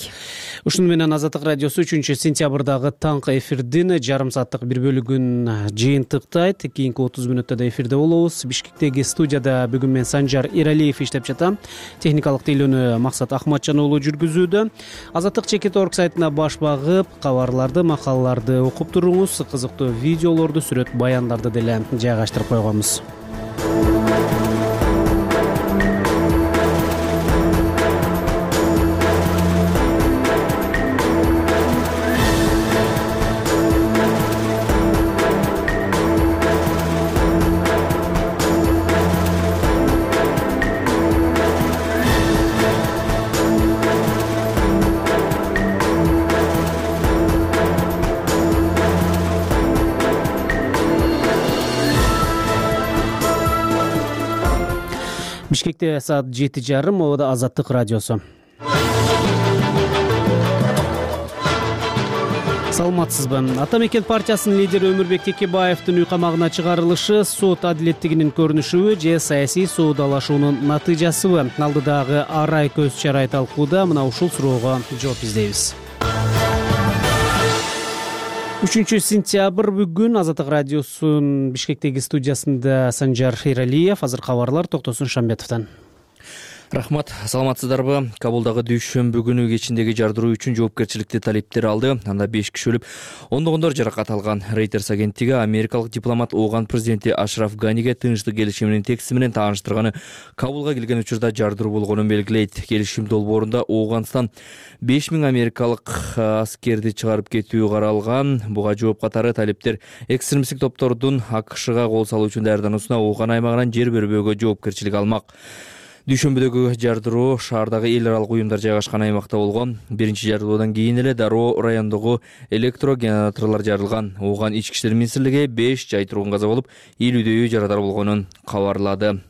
Ушуну менен Азаттык радиосу 3-сентябрдагы таңкы эфирдин жарым сааттык бир бөлүгүн жыйынтыктайт. Кийинки 30 мүнөттө да эфирде болобуз. Бишкектеги студияда бүгүн мен Санжар Эралиев иштеп жатам. Техникалык тейлөөнү Максат Ахматжан уулу жүргүзүүдө. Азаттык Чекит.org сайтына баш багып, кабарларды, макалаларды окуп туруңуз. Кызыктуу видеолорду, сүрөт баяндарды деле жайгаштырып койгонбуз. Бишкекте саат 7:30, Обода Азаттык радиосу. Саламатсызбы? Ата мекен партиясынын лидери Өмүрбек Текебаевдин үй камагына чыгарылышы сот адилеттигинин көрүнүшүбү же саясий соодалашуунун натыйжасыбы? Алдыдагы арай көз чарай талкууда мына ушул суроого жооп издейбиз. 3-сентябрь бүгүн Азаттык радиосунун Бишкектеги студиясында Санжар Эралиев. Азыр кабарлар Токтосун Шамбетовдон. Рахмат, саламатсыздарбы? Кабулдагы дүйшөмбү күнү кечиндеги жардыруу үчүн жоопкерчиликти талептер алды. Анда 5 киши өлүп, ондогондор жаракат алган. Reuters агенттиги америкалык дипломат Ооган президенти Ашраф Ганиге тынчтык келишиминин текстиси менен тааныштырганы Кабулга келген учурда жардыруу болгонун белгилейт. Келишим долбоорунда Ооганстан 5000 америкалык аскерди чыгарып кетүү каралган. Буга жооп катары талептер экстремисттик топтордун АКШга кол салуу үчүн даярдануусуна Ооган аймагынан жер бербөөгө жоопкерчилик алмак. Дүйшөмбүдөгү жардыруу шаардагы эл аралык уюмдар жайгашкан аймакта болгон. Биринчи жардыруудан кийин эле Дароо райондогу электрогенераторлор жарылган. Ооган ички иштер министрлиги 5 жай тургун каза болуп, 50дөйү жарадар болгонун кабарлады.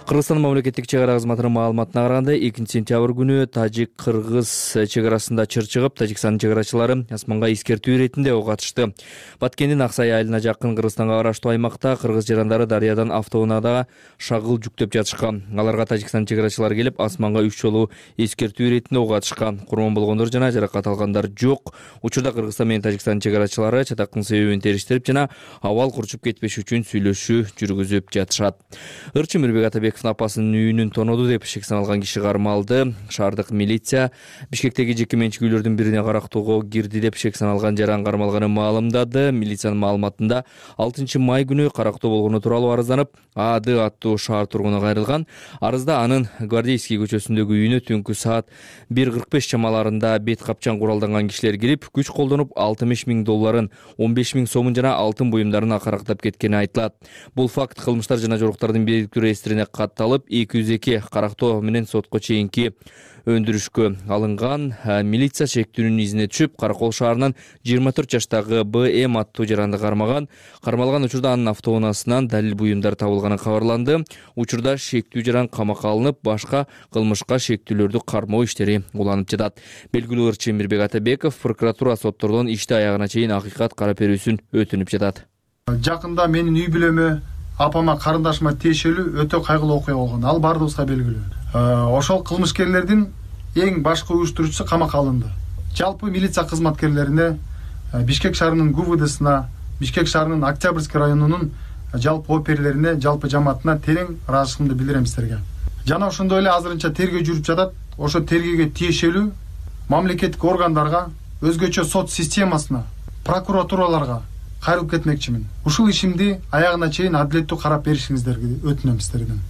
Кыргызстан мамлекеттик чегара кызматынын маалыматына караганда 2-сентябрь күнү тажик-кыргыз чегарасында чыр чыгып, Тажикстандын чегарачылары асманга эскертүү иретинде ок атышты. Баткендин Аксай айылына жакын Кыргызстанга караштуу аймакта кыргыз жарандары дарыядан автоунаада шагыл жүктөп жатышкан. Аларга Тажикстан чегарачылары келип, асманга 3 жолу эскертүү иретинде ок атышкан. Курман болгондор жана жаракат алгандар жок. Учурда Кыргызстан менен Тажикстан чегарачылары чатактын себебин териштирип жана абал курчуп кетпеш үчүн сүйлөшүү жүргүзүп жатышат. Ырчы Мирбек Атабеков апасынын үйүнүн тоноду деп шек саналган киши кармалды. Шаардык милиция Бишкектеги жеке менчик үйлөрдүн бирине карактоого кирди деп шек саналган жаран кармалганын маалымдады. Милициянын маалыматында 6 май күнү карактоо болгону тууралуу арызданып, АД аттуу шаар тургуну кайрылган. Арызда анын Гвардейский көчөсүндөгү үйүнө түнкү саат 1:45 чамаларында бет капчан куралданган кишилер кирип, күч колдонуп $60,000, 15,000 сомун жана алтын буюмдарын акарактап кеткени айтылат. Бул факт кылмыштар жана жоруктардын бийликтүү реестрине катталып, 202 карактоо менен сотко чейинки өндүрүшкө алынган. Милиция шектүүнүн изине түшүп, Каракол шаарынан 24 жаштагы БМ аттуу жаранды кармаган. Кармалган учурда анын автоунаасынан далил буюмдар табылганы кабарланды. Учурда шектүү жаран камакка алынып, башка кылмышка шектүүлөрдү кармоо иштери уланып жатат. Белгилүү ырчы Мирбек Атабеков прокуратура соттордон ишти аягына чейин акыйкат карап берүүсүн өтүнүп жатат. Жакында менин үй бүлөмө, апама, карындашыма тиешелүү өтө кайгылуу окуя болгон. Ал бардыгыбызга белгилүү. Ошол кылмышкерлердин эң башкы уюштуруучусу камакка алынды. Жалпы милиция кызматкерлерине, Бишкек шаарынын ГУВДсына, Бишкек шаарынын Октябрьский районунун жалпы оперлерине, жалпы жамаатына терең ыраазычылыгымды билдирем силерге. Жана ошондой эле азырынча тергөө жүрүп жатат. Ошо тергөөгө тиешелүү мамлекеттик органдарга, өзгөчө сот системасына, прокуратураларга кайрылып кетмекчимин. Ушул ишимди аягына чейин адилеттүү карап беришиңиздерди өтүнөм сиздерден.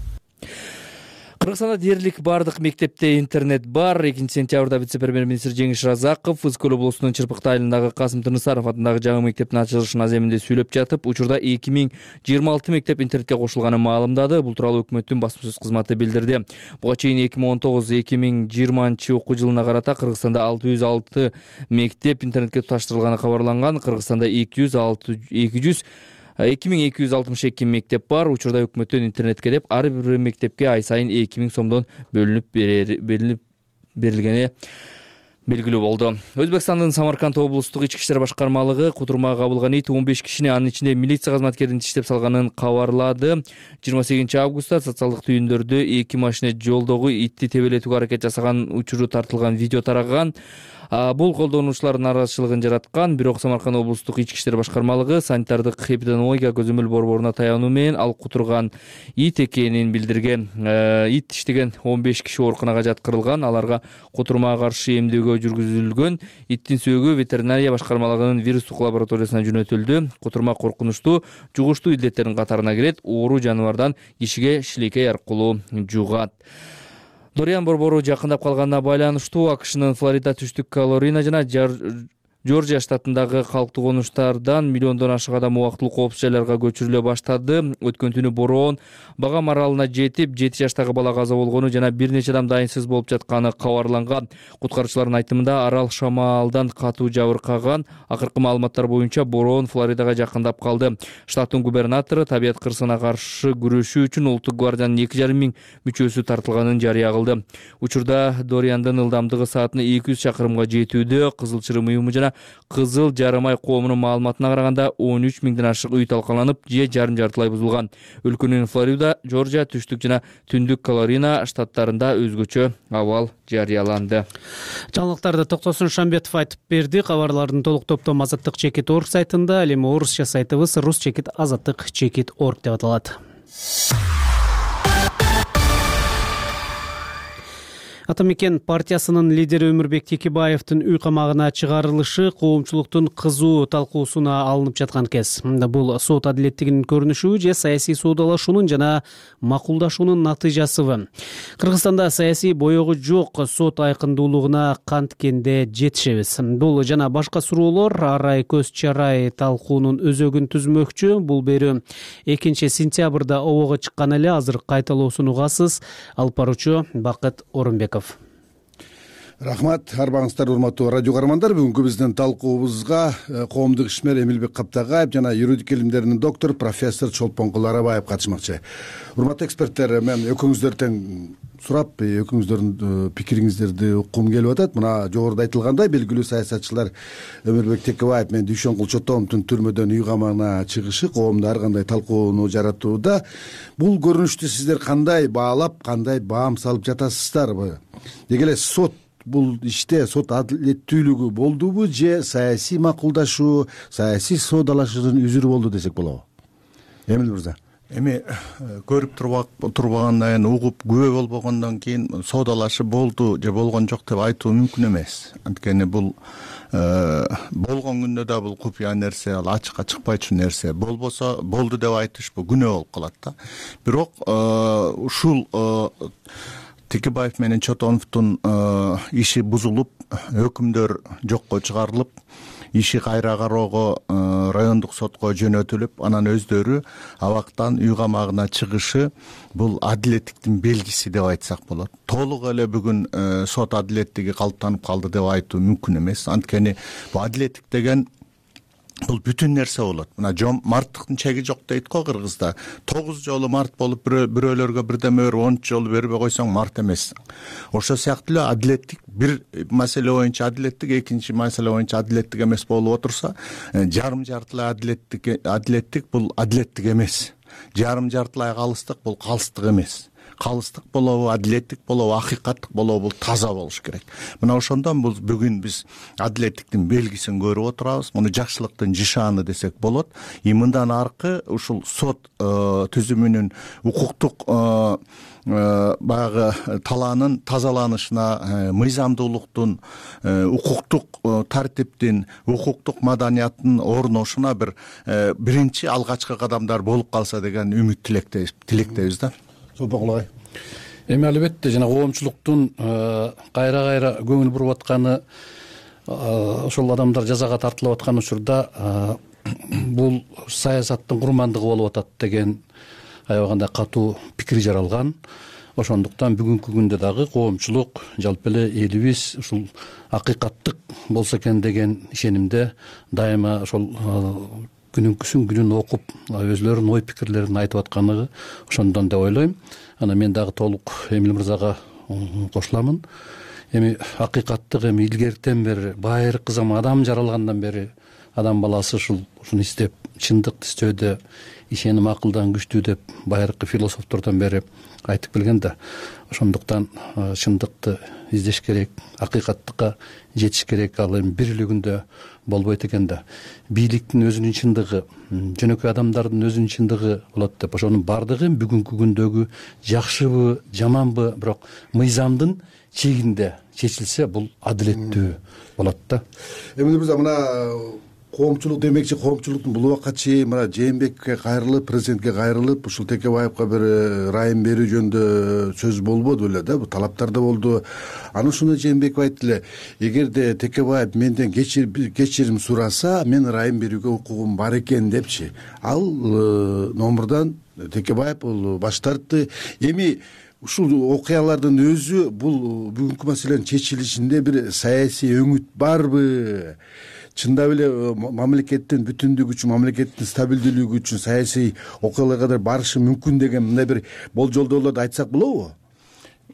Кыргызстанда дээрлик бардык мектепте интернет бар. 2-сентябрда вице-премьер-министр Жеңиш Разаков Ызкөл облусунун Чырпыкты айылындагы Касым Тынысаров атындагы жаңы мектептин ачылышын аземинде сүйлөп жатып, учурда 2026 мектеп интернетке кошулганын маалымдады. Бул тууралуу өкмөттүн басма сөз кызматы билдирди. Буга чейин 2019-2020 окуу жылына карата Кыргызстанда 606 мектеп интернетке туташтырылганы кабарланган. Кыргызстанда 2262 мектеп бар. Учурда өкмөттөн интернетке деп ар бир мектепке ай сайын 2000 сомдон бөлүнүп берилгени белгилүү болду. Өзбекстандын Самарканд облустук ички иштер башкармалыгы кутурмага кабылган ит 15 кишини, анын ичинде милиция кызматкерин тиштеп салганын кабарлады. 28 августта социалдык түйүндөрдө 2 машина жолдогу итти тебелетүүгө аракет жасаган учуру тартылган видео тараган. Бул колдонуучулардын нааразычылыгын жараткан. Бирок Самарканд облустук ички иштер башкармалыгы санитардык эпидемиология көзөмөл борборуна таянуу менен ал кутурган ит экенин билдирген. Ит тиштеген 15 киши ооруканага жаткырылган. Аларга кутурмага каршы эмдөөгө жүргүзүлгөн. Иттин сөөгү ветеринария башкармалыгынын вирустук лабораториясына жөнөтүлдү. Кутурма коркунучтуу, жугуштуу илдеттердин катарына кирет. Оору жаныбардан кишиге шилекей аркылуу жугат. Дориан борбору жакындап калганына байланыштуу АКШнын Флорида, Түштүк Каролина жана Жоржия штатындагы калктуу конуштардан миллиондон ашык адам убактылуу коопсуз жайларга көчүрүлө баштады. Өткөн түнү бороон Багам аралына жетип, 7 жаштагы бала каза болгону жана бир нече адам дайынсыз болуп жатканы кабарланган. Куткаруучулардын айтымында арал шамалдан катуу жабыркаган. Акыркы маалыматтар боюнча бороон Флоридага жакындап калды. Штаттын губернатору табият кырсыгына каршы күрөшүү үчүн Улуттук гвардиянын 2,5 миң мүчөсү тартылганын жарыя кылды. Учурда Дориандын ылдамдыгы саатына 200 чакырымга жетүүдө. Кызыл чырым уюму жана Кызыл жарым ай коомунун маалыматына караганда 13 миңден ашык үй талкаланып, же жарым-жартылай бузулган. Өлкөнүн Флорида, Жоржия, Түштүк жана Түндүк Каролина штаттарында өзгөчө абал жарыяланды. Жаңылыктарды Токтосун Шамбетов айтып берди. Кабарлардын толук топтом azattik.org сайтында, ал эми орусча сайтыбыз rus.azattik.org деп аталат. Ата мекен партиясынын лидери Өмүрбек Текебаевдин үй камагына чыгарылышы коомчулуктун кызуу талкуусуна алынып жаткан кез. Бул сот адилеттигинин көрүнүшү же саясий соодалашуунун жана макулдашуунун натыйжасыбы? Кыргызстанда саясий боёгу жок сот айкындуулугуна канткенде жетишебиз. Бул жана башка суроолор арай көз чарай талкуунун өзөгүн түзмөкчү. Бул берүү 2 сентябрда обого чыккан эле, азыр кайталоосун угасыз. Алып баруучу Бакыт Орунбеков. Рахмат, арбаңыздар урматтуу радио каармандар. Бүгүнкү биздин талкуубузга коомдук ишмер Эмилбек Каптагаев жана юридик илимдеринин доктор профессор Чолпонкул Арабаев катышмакчы. Урматтуу эксперттер, мен экөөңүздөрдөн сурап, экөөңүздөрдүн пикириңиздерди уккум келип атат. Мына жогоруда айтылгандай, белгилүү саясатчылар Өмүрбек Текебаев менен Дүйшөн Кулчотомовдун түрмөдөн үй камагына чыгышы коомдо ар кандай талкууну жаратууда. Бул көрүнүштү сиздер кандай баалап, кандай баам салып жатасыздарбы? Деги эле сот бул иште сот адилеттүүлүгү болдубу же саясий макулдашуу, саясий соодалашуунун үзүрү болду десек болобу? Эмил мырза. Эми көрүп турбагандан кийин, угуп күбө болбогондон кийин соодалашып болду же болгон жок деп айтуу мүмкүн эмес. Анткени бул болгон күндө да бул купуя нерсе, ал ачыкка чыкпайчу нерсе. Болбосо болду деп айтыш бул күнөө болуп калат да. Бирок ушул Текебаев менен Чотоновдун иши бузулуп, өкүмдөр жокко чыгарылып, иши кайра кароого райондук сотко жөнөтүлүп, анан өздөрү абактан үй камагына чыгышы бул адилеттиктин белгиси деп айтсак болот. Толук эле бүгүн сот адилеттиги калыптанып калды деп айтуу мүмкүн эмес. Анткени бул адилеттик деген бул бүтүн нерсе болот. Мына марттыктын чеги жок дейт го Кыргызда. 9 жолу март болуп бирөөлөргө бирдеме берип, 10 жолу бербей койсоң март эмес. Ошо сыяктуу эле адилеттик бир маселе боюнча адилеттик, экинчи маселе боюнча адилеттик эмес болуп отурса, жарым-жартылай адилеттик бул адилеттик эмес. Жарым-жартылай калыстык бул калыстык эмес. Калыстык болобу, адилеттик болобу, акыйкаттык болобу, бул таза болуш керек. Мына ошондон бул бүгүн биз адилеттиктин белгисин көрүп отурабыз. Муну жакшылыктын жишаны десек болот. Мындан аркы ушул сот түзүмүнүн укуктук баягы талаанын тазаланышына, мыйзамдуулуктун, укуктук тартиптин, укуктук маданияттын орношуна биринчи алгачкы кадамдар болуп калса деген үмүт тилектейбиз да. Эми албетте жана коомчулуктун кайра көңүл буруп атканы, ошол адамдар жазага тартылып аткан учурда бул саясаттын курмандыгы болуп атат деген аябагандай катуу пикир жаралган. Ошондуктан бүгүнкү күндө дагы коомчулук жалпы эле элибиз ушул акыйкаттык болсо экен деген ишенимде дайыма ошол күнүн окуп өзлөрүнүн ой пикирлерин айтып атканы ошондон деп ойлойм. Анан мен дагы толук Эмил мырзага кошуламын. эми акыйкаттык эми илгертен бери байыркы заман адам жаралгандан бери адам баласы ушуну издеп чындыкты издөөдө ишеним акылдан күчтүү деп байыркы философтордон бери айтып келген да. Ошондуктан чындыкты издеш керек, акыйкаттыкка жетиш керек. Ал эми бир эле күндө болбойт экен да. Бийликтин өзүнүн чындыгы, жөнөкөй адамдардын өзүнүн чындыгы болот деп. Ошонун баардыгы бүгүнкү күндөгү жакшыбы, жаманбы, бирок мыйзамдын чегинде чечилсе, бул адилеттүү болот да. Эмне мырза, мына коомчулук демекчи, коомчулуктун бул убакка чейин мына Жээнбековге кайрылып, президентке кайрылып, ушул Текебаевка бир ырайым берүү жөнүндө сөз болбоду беле да, бул талаптар да болду. Анан ушуну Жээнбеков айтты эле, эгерде Текебаев менден кечирим сураса, мен ырайым берүүгө укугум бар экен депчи. Ал номурдан Текебаев бул баш тартты. Эми ушул окуялардын өзү бул бүгүнкү маселенин чечилишинде бир саясий өңүт барбы? Чындап эле мамлекеттин бүтүндүгү үчүн, мамлекеттин стабилдүүлүгү үчүн саясий окуяларга барышы мүмкүн деген мындай бир болжолдоолорду айтсак болобу?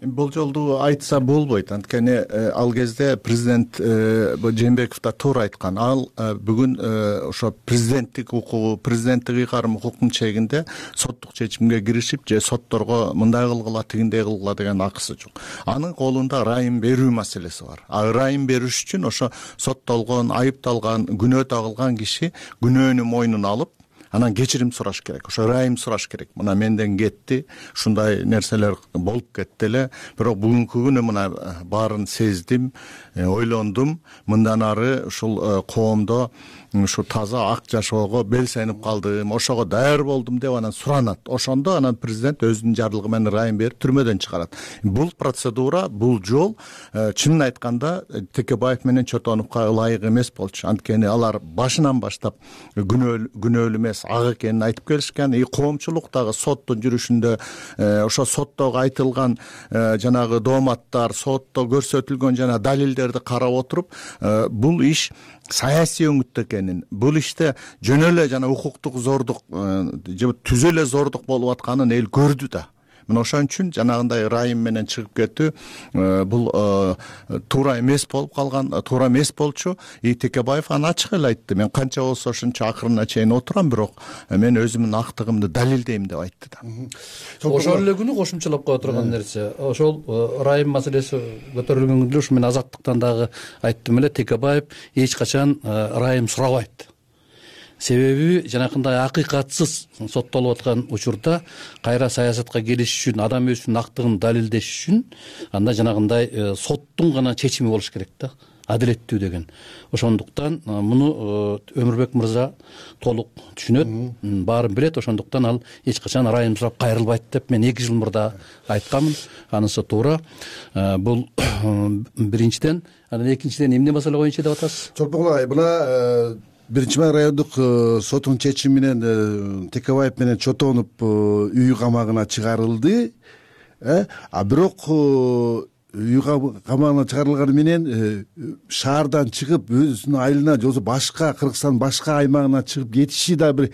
Болжолду айтса болбойт. Анткени ал кезде президент Жээнбеков да туура айткан. Ал бүгүн ошо президенттик укугу, президенттик ыйгарым укуктун чегинде соттук чечимге киришип, же сотторго мындай кылгыла, тигиндей кылгыла деген акысы жок. Анын колунда ырайым берүү маселеси бар. Ырайым бериш үчүн ошо соттолгон, айыпталган, күнөө тагылган киши күнөөнү мойнуна алып, анан кечирим сураш керек, ошо ырайым сураш керек. Мына менден кетти, ушундай нерселер болуп кетти эле, бирок бүгүнкү күнү мына баарын сездим, ойлондум, мындан ары ушул коомдо ушу таза ак жашоого белсенип калдым, ошого даяр болдум деп анан суранат. Ошондо анан президент өзүнүн жарлыгы менен ырайым берип түрмөдөн чыгарат. Бул процедура, бул жол чынын айтканда Текебаев менен Чотоновго ылайык эмес болчу. Анткени алар башынан баштап күнөөлүү эмес, ак экенин айтып келишкен. Коомчулук дагы соттун жүрүшүндө ошо соттогу айтылган жанагы дооматтар, сотто көрсөтүлгөн жана далилдерди карап отуруп, бул иш саясий өңүттө экенин, бул иште жөн эле жана укуктук зордук же түзө эле зордук болуп атканын эл көрдү да. Мына ошон үчүн жанагындай ырайым менен чыгып кетүү бул туура эмес болуп калган, туура эмес болчу. Текебаев аны ачык эле айтты. Мен канча болсо ошончо акырына чейин отурам, бирок мен өзүмдүн актыгымды далилдейм деп айтты да. Ошол эле күнү кошумчалап кое турган нерсе, ошол ырайым маселеси көтөрүлгөн күндө ушу мен Азаттыктан дагы айттым эле, Текебаев эч качан ырайым сурабайт. Себеби жанакындай акыйкатсыз соттолуп аткан учурда кайра саясатка келиш үчүн, адам өзүнүн актыгын далилдеш үчүн анда жанагындай соттун гана чечими болуш керек да, адилеттүү деген. Ошондуктан муну Өмүрбек мырза толук түшүнөт, баарын билет. Ошондуктан ал эч качан ырайым сурап кайрылбайт деп мен 2 жыл мурда айтканмын. Анысы туура. Бул биринчиден. Анан экинчиден эмне маселе боюнча деп атасыз? Чолпон агай, мына биринчи райондук соттун чечими менен Текебаев менен Чотонов үй камагына чыгарылды. Бирок үй камагына чыгарылганы менен шаардан чыгып өзүнүн айылына же болбосо башка Кыргызстандын башка аймагына чыгып кетиши да бир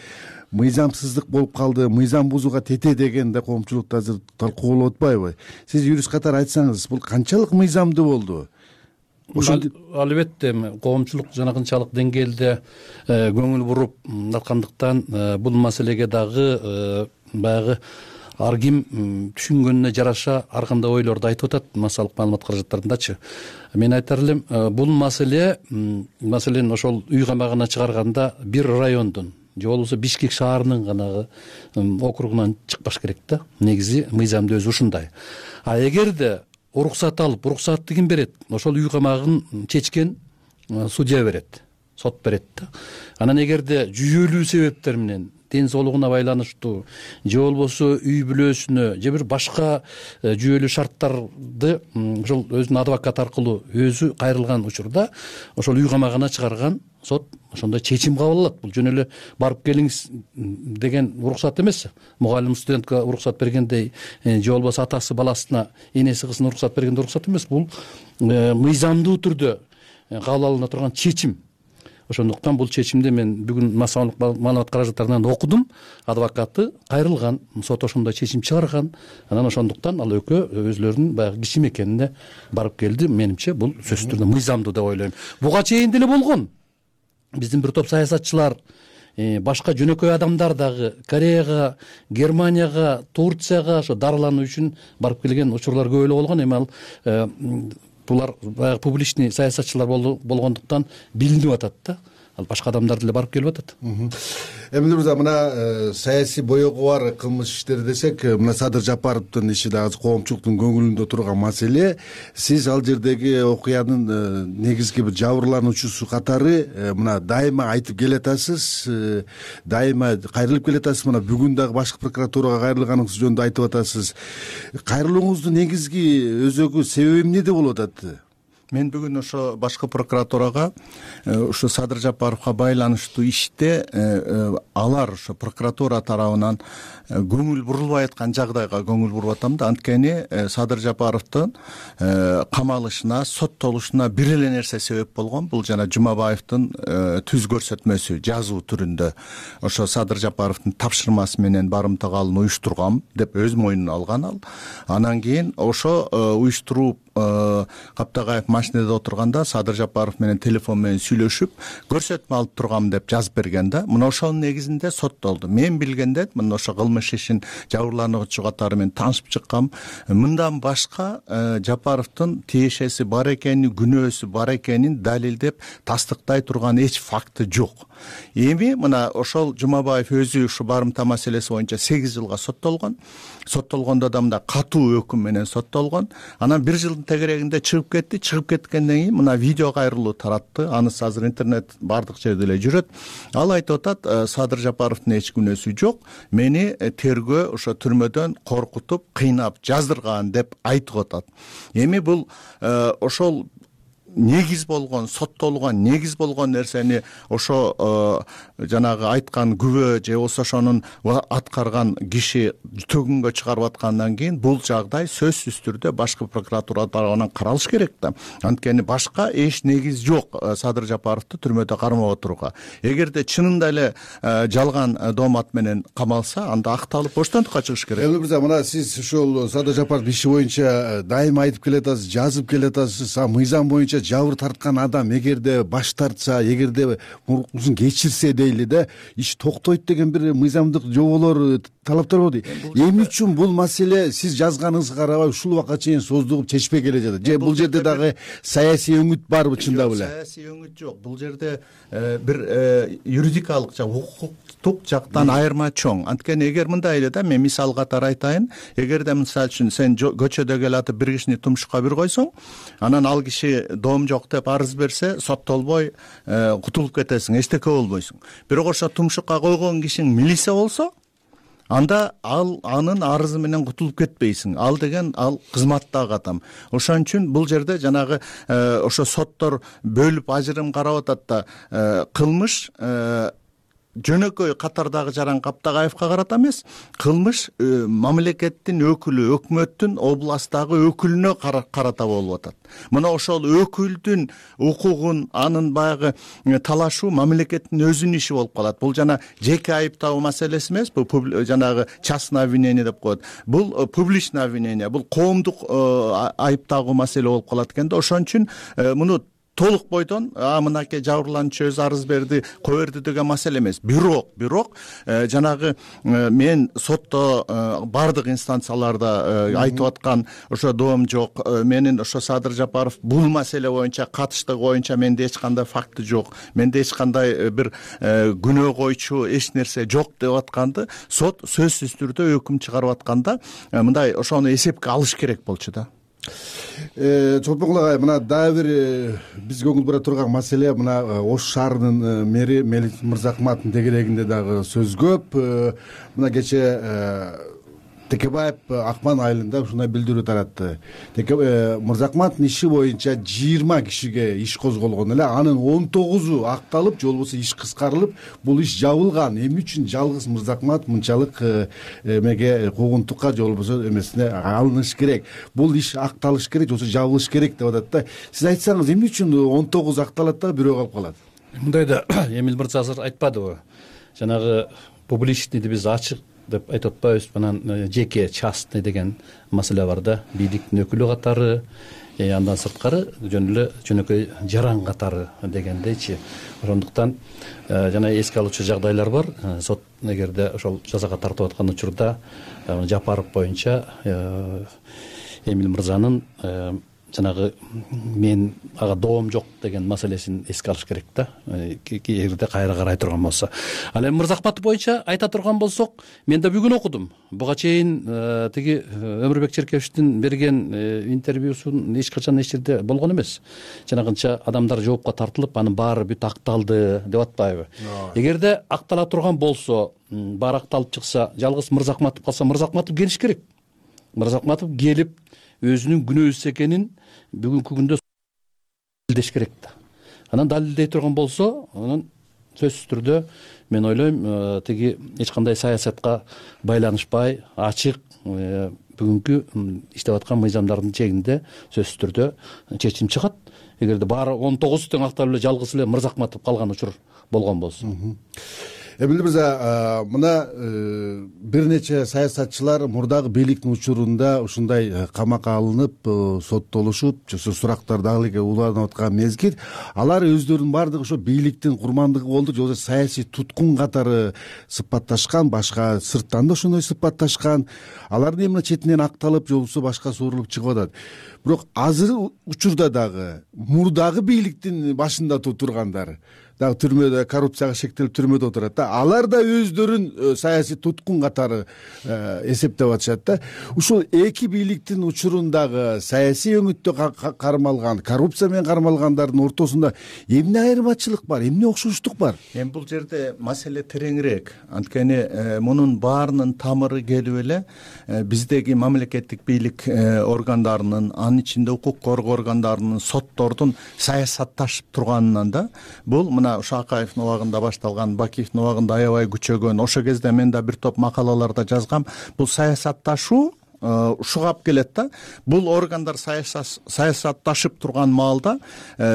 мыйзамсыздык болуп калды, мыйзам бузууга тете деген да коомчулукта азыр талкуу болуп атпайбы? Сиз юрист катары айтсаңыз, бул канчалык мыйзамдуу болду? Албетте коомчулук жанакынчалык деңгээлде көңүл буруп аткандыктан бул маселеге дагы баягы ар ким түшүнгөнүнө жараша ар кандай ойлорду айтып атат массалык маалымат каражаттарындачы. Мен айтар элем, бул маселен ошол үй камагына чыгарганда бир райондун же болбосо Бишкек шаарынын гана округунан чыкпаш керек да. Негизи мыйзамды өзү ушундай. Эгерде уруксат алып, уруксатты ким берет? Ошол үй камагын чечкен судья берет, сот берет да. Анан эгерде жүйөлүү себептер менен ден соолугуна байланыштуу же болбосо үй бүлөсүнө же бир башка жүйөлүү шарттарды ошол өзүнүн адвокат аркылуу өзү кайрылган учурда ошол үй камагына чыгарган сот ошондой чечим кабыл алат. Бул жөн эле барып келиңиз деген уруксат эмес. Мугалим студентке уруксат бергендей же болбосо атасы баласына, энеси кызына уруксат бергендей уруксат эмес. Бул мыйзамдуу түрдө кабыл алына турган чечим. ошондуктан бул чечимди мен бүгүн массалык маалымат каражаттарынан окудум. Адвокаты кайрылган, сот ошондой чечим чыгарган. Анан ошондуктан ал экөө өзлөрүнүн баягы киши мекенине барып келди. Менимче бул сөзсүз түрдө мыйзамдуу деп ойлойм. Буга чейин деле болгон. Биздин бир топ саясатчылар, башка жөнөкөй адамдар дагы Кореяга, Германияга, Турцияга ошо дарылануу үчүн барып келген учурлар көп эле болгон. Эми ал булар баягы публичный саясатчылар болгондуктан билинип атат да. Ал башка адамдар деле барып келип атат. Эмиль мырза, мына саясий боёгу бар кылмыш иштери десек, мына Садыр Жапаровдун иши дагы коомчулуктун көңүлүндө турган маселе. Сиз ал жердеги окуянын негизги бир жабырлануучусу катары мына дайыма айтып келатасыз, дайыма кайрылып келатасыз. Мына бүгүн дагы башкы прокуратурага кайрылганыңыз жөнүндө айтып атасыз. Кайрылууңуздун негизги өзөгү себеби эмнеде болуп атат? Мен бүгүн ошо башкы прокуратурага ушу Садыр Жапаровго байланыштуу иште алар ошо прокуратура тарабынан көңүл бурулбай аткан жагдайга көңүл буруп атам да. Анткени Садыр Жапаровдун камалышына, соттолушуна бир эле нерсе себеп болгон. Бул жана Жумабаевдин түз көрсөтмөсү жазуу түрүндө ошо Садыр Жапаровдун тапшырмасы менен барымтага алууну уюштургам деп өз мойнуна алган ал. Анан кийин ошо уюштуруп Каптагаев машинеде отурганда Садыр Жапаров менен телефон менен сүйлөшүп, көрсөтмө алып тургам деп жазып берген да. Мына ошонун негизинде соттолду. Мен билгенде мына ошо кылмыш ишин жабырлануучу катары менен таанышып чыккам. Мындан башка Жапаровдун тиешеси бар экенин, күнөөсү бар экенин далилдеп тастыктай турган эч факты жок. Эми мына ошол Жумабаев өзү ушу барымта маселеси боюнча 8 жылга соттолгон. Соттолгондо да мында катуу өкүм менен соттолгон. Анан 1 жылдын тегерегинде чыгып кетти. Чыгып кеткенден кийин мына видео кайрылуу таратты. Анысы азыр интернет бардык жерде эле жүрөт. Ал айтып атат, Садыр Жапаровдун эч күнөөсү жок. Мени тергөө ошо түрмөдөн коркутуп, кыйнап жаздырган деп айтып атат. Эми бул ошол негиз болгон, соттолгон негиз болгон нерсени ошо жанагы айткан күбө же болбосо ошонун аткарган киши төгүнгө чыгарып аткандан кийин бул жагдай сөзсүз түрдө башкы прокуратура тарабынан каралыш керек да. Анткени башка эч негиз жок Садыр Жапаровду түрмөдө кармап отурууга. Эгерде чынында эле жалган доомат менен камалса, анда акталып боштондукка чыгыш керек. Эмиль мырза, мына сиз ушул Садыр Жапаров иши боюнча дайыма айтып келатасыз, жазып келатасыз. Мыйзам боюнча жабыр тарткан адам эгерде баш тартса, эгерде муркусун кечирсе дейли да, иш токтойт деген бир мыйзамдык жоболор, талаптар бар. Эмне үчүн бул маселе сиз жазганыңызга карабай ушул убакка чейин создугуп чечпей келе жатат? Же бул жерде дагы саясий өңүт барбы чындап эле? Саясий өңүт жок. Бул жерде бир юридикалык жак, укуктук жактан айырма чоң. Анткени эгер мындай эле да, мен мисал катары айтайын, эгерде мисалы үчүн сен көчөдө келатып бир кишини тумшукка бир койсоң, анан ал киши доом жок деп арыз берсе, соттолбой кутулуп кетесиң, эчтеке болбойсуң. Бирок ошо тумшукка койгон кишиң милиция болсо, анда анын арызы менен кутулуп кетпейсиң. Ал деген ал кызматтагы адам. Ошон үчүн бул жерде жанагы ошо соттор бөлүп ажырым карап атат да, кылмыш жөнөкөй катардагы жаран Каптагаевка карата эмес, кылмыш мамлекеттин өкүлү, өкмөттүн областтагы өкүлүнө карата болуп атат. Мына ошол өкүлдүн укугун, анын баягы талашуу мамлекеттин өзүнүн иши болуп калат. Бул жана жеке айыптоо маселеси эмес, бул жанагы частное обвинение деп коет. Бул публичное обвинение, бул коомдук айыптагуу маселе болуп калат экен да. Ошон үчүн муну толук бойдон мынакей жабырлануучу өзү арыз берди, кое берди деген маселе эмес. Бирок жанагы мен сотто бардык инстанцияларда айтып аткан ошо доом жок, менин ошо Садыр Жапаров бул маселе боюнча катыштыгы боюнча менде эч кандай факты жок, менде эч кандай бир күнөө койчу эч нерсе жок деп атканды сот сөзсүз түрдө өкүм чыгарып атканда мындай ошону эсепке алыш керек болчу да. Чолпонкул агай, мына дагы бир биз көңүл бура турган маселе, мына Ош шаарынын мэри Мелик Мырзакматтын тегерегинде дагы сөз көп. Мына кече Текебаев акман айылында ушундай билдирүү таратты. Мырзакматтын иши боюнча 20 кишиге иш козголгон эле, анын 19-у акталып, же болбосо иш кыскарылып, бул иш жабылган. Эмне үчүн жалгыз Мырзакмат мынчалык эмеге куугунтукка же болбосо эмесине алыныш керек? Бул иш акталыш керек, же болбосо жабылыш керек деп атат да. Сиз айтсаңыз, эмне үчүн 19 акталат да бирөө калып калат? мындай да Эмил мырза азыр айтпадыбы, жанагы публичныйды биз ачык деп айтып атпайбыз, анан жеке частный деген маселе бар да, бийликтин өкүлү катары, андан сырткары жөн эле жөнөкөй жаран катары дегендейчи. Ошондуктан жана эске алуучу жагдайлар бар. Сот эгерде ошол жазага тартып аткан учурда Жапаров боюнча Эмил мырзанын жанагы мен ага доом жок деген маселесин эске алыш керек да, эгерде кайра карай турган болсо. Ал эми Мырзахматов боюнча айта турган болсок, мен да бүгүн окудум. Буга чейин тиги Өмүрбек Черкевичтин берген интервьюсун эч качан эч жерде болгон эмес. Жанагынча адамдар жоопко тартылып, анын баары бүт акталды деп атпайбы? Эгерде актала турган болсо, баары акталып чыкса, жалгыз Мырзахматов калса, Мырзахматов келиш керек. Мырзахматов келип өзүнүн күнөөсүз экенин бүгүнкү күндө далилдеш керек да. Анан далилдей турган болсо, анан сөзсүз түрдө мен ойлойм, тиги эч кандай саясатка байланышпай, ачык бүгүнкү иштеп аткан мыйзамдардын чегинде сөзсүз түрдө чечим чыгат. Эгерде баары 19 тең акталып эле жалгыз эле Мырзахматов калган учур болгон болсо. Эмил мырза, мына бир нече саясатчылар мурдагы бийликтин учурунда ушундай камакка алынып, соттолушуп, сурактар дагы эле уланып аткан мезгил, алар өздөрүнүн баардыгы ошо бийликтин курмандыгы болду, же болбосо саясий туткун катары сыпатташкан, башка сырттан да ошондой сыпатташкан. Алардын эмне четинен акталып, же болбосо башка суурулуп чыгып атат. Бирок азыр учурда дагы мурдагы бийликтин башында тургандар дагы түрмөдө, коррупцияга шектелип түрмөдө отурат да. Алар да өздөрүн саясий туткун катары эсептеп атышат да. Ушул эки бийликтин учурундагы саясий өңүттө кармалган, коррупция менен кармалгандардын ортосунда эмне айырмачылык бар, эмне окшоштук бар? Эми бул жерде маселе тереңирээк. Анткени мунун баарынын тамыры келип эле биздеги мамлекеттик бийлик органдарынын, анын ичинде укук коргоо органдарынын, соттордун саясатташып турганынан да. Бул мына Ушакаевдин убагында башталган, Бакиевдин убагында аябай күчөгөн, ошо кезде мен да бир топ макалаларда жазгам. Бул саясатташуу ушугап келет да. Бул органдар саясатташып турган маалда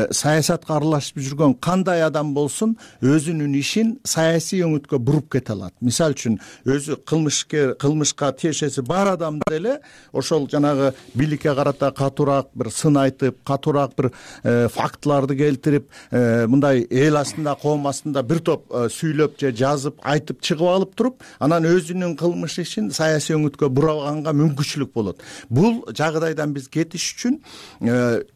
саясатка аралашып жүргөн кандай адам болсун өзүнүн ишин саясий өңүткө буруп кете алат. Мисалы үчүн өзү кылмышка тиешеси бар адам деле ошол жанагы бийликке карата катуураак бир сын айтып, катуураак бир фактыларды келтирип, мындай эл астында, коом астында бир топ сүйлөп же жазып, айтып чыгып алып туруп, анан өзүнүн кылмыш ишин саясий өңүткө бураганга мүмкүнчүлүк болот. Бул жагдайдан биз кетиш үчүн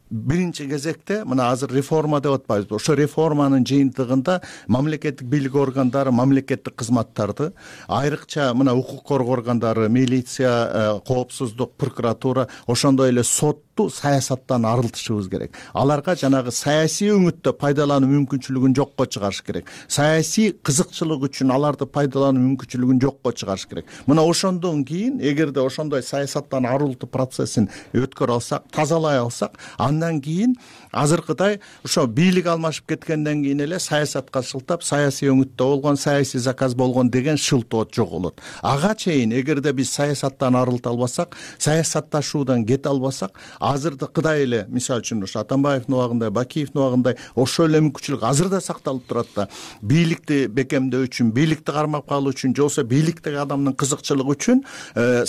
биринчи кезекте мына азыр реформа деп атпайбызбы? Ошо реформанын жыйынтыгында мамлекеттик бийлик органдары, мамлекеттик кызматтарды, айрыкча мына укук коргоо органдары, милиция, коопсуздук, прокуратура, ошондой эле сотту саясаттан арылтышыбыз керек. Аларга жанагы саясий өңүттө пайдалануу мүмкүнчүлүгүн жокко чыгарыш керек. Саясий кызыкчылык үчүн аларды пайдалануу мүмкүнчүлүгүн жокко чыгарыш керек. Мына ошондон кийин, эгерде ошондой саясаттан арылтуу процессин өткөрө алсак, тазалай алсак, андан кийин азыркыдай ошо бийлик алмашып кеткенден кийин эле саясатка шылтап, саясий өңүттө болгон, саясий заказ болгон деген шылтоо жоголот. Ага чейин эгерде биз саясаттан арылта албасак, саясатташуудан кете албасак, азыркыдай эле, мисалы үчүн ошо Атамбаевдин убагында, Бакиевдин убагында ошол эле мүмкүнчүлүк азыр да сакталып турат да. Бийликти бекемдөө үчүн, бийликти кармап калуу үчүн, же болбосо бийликтеги адамдын кызыкчылыгы үчүн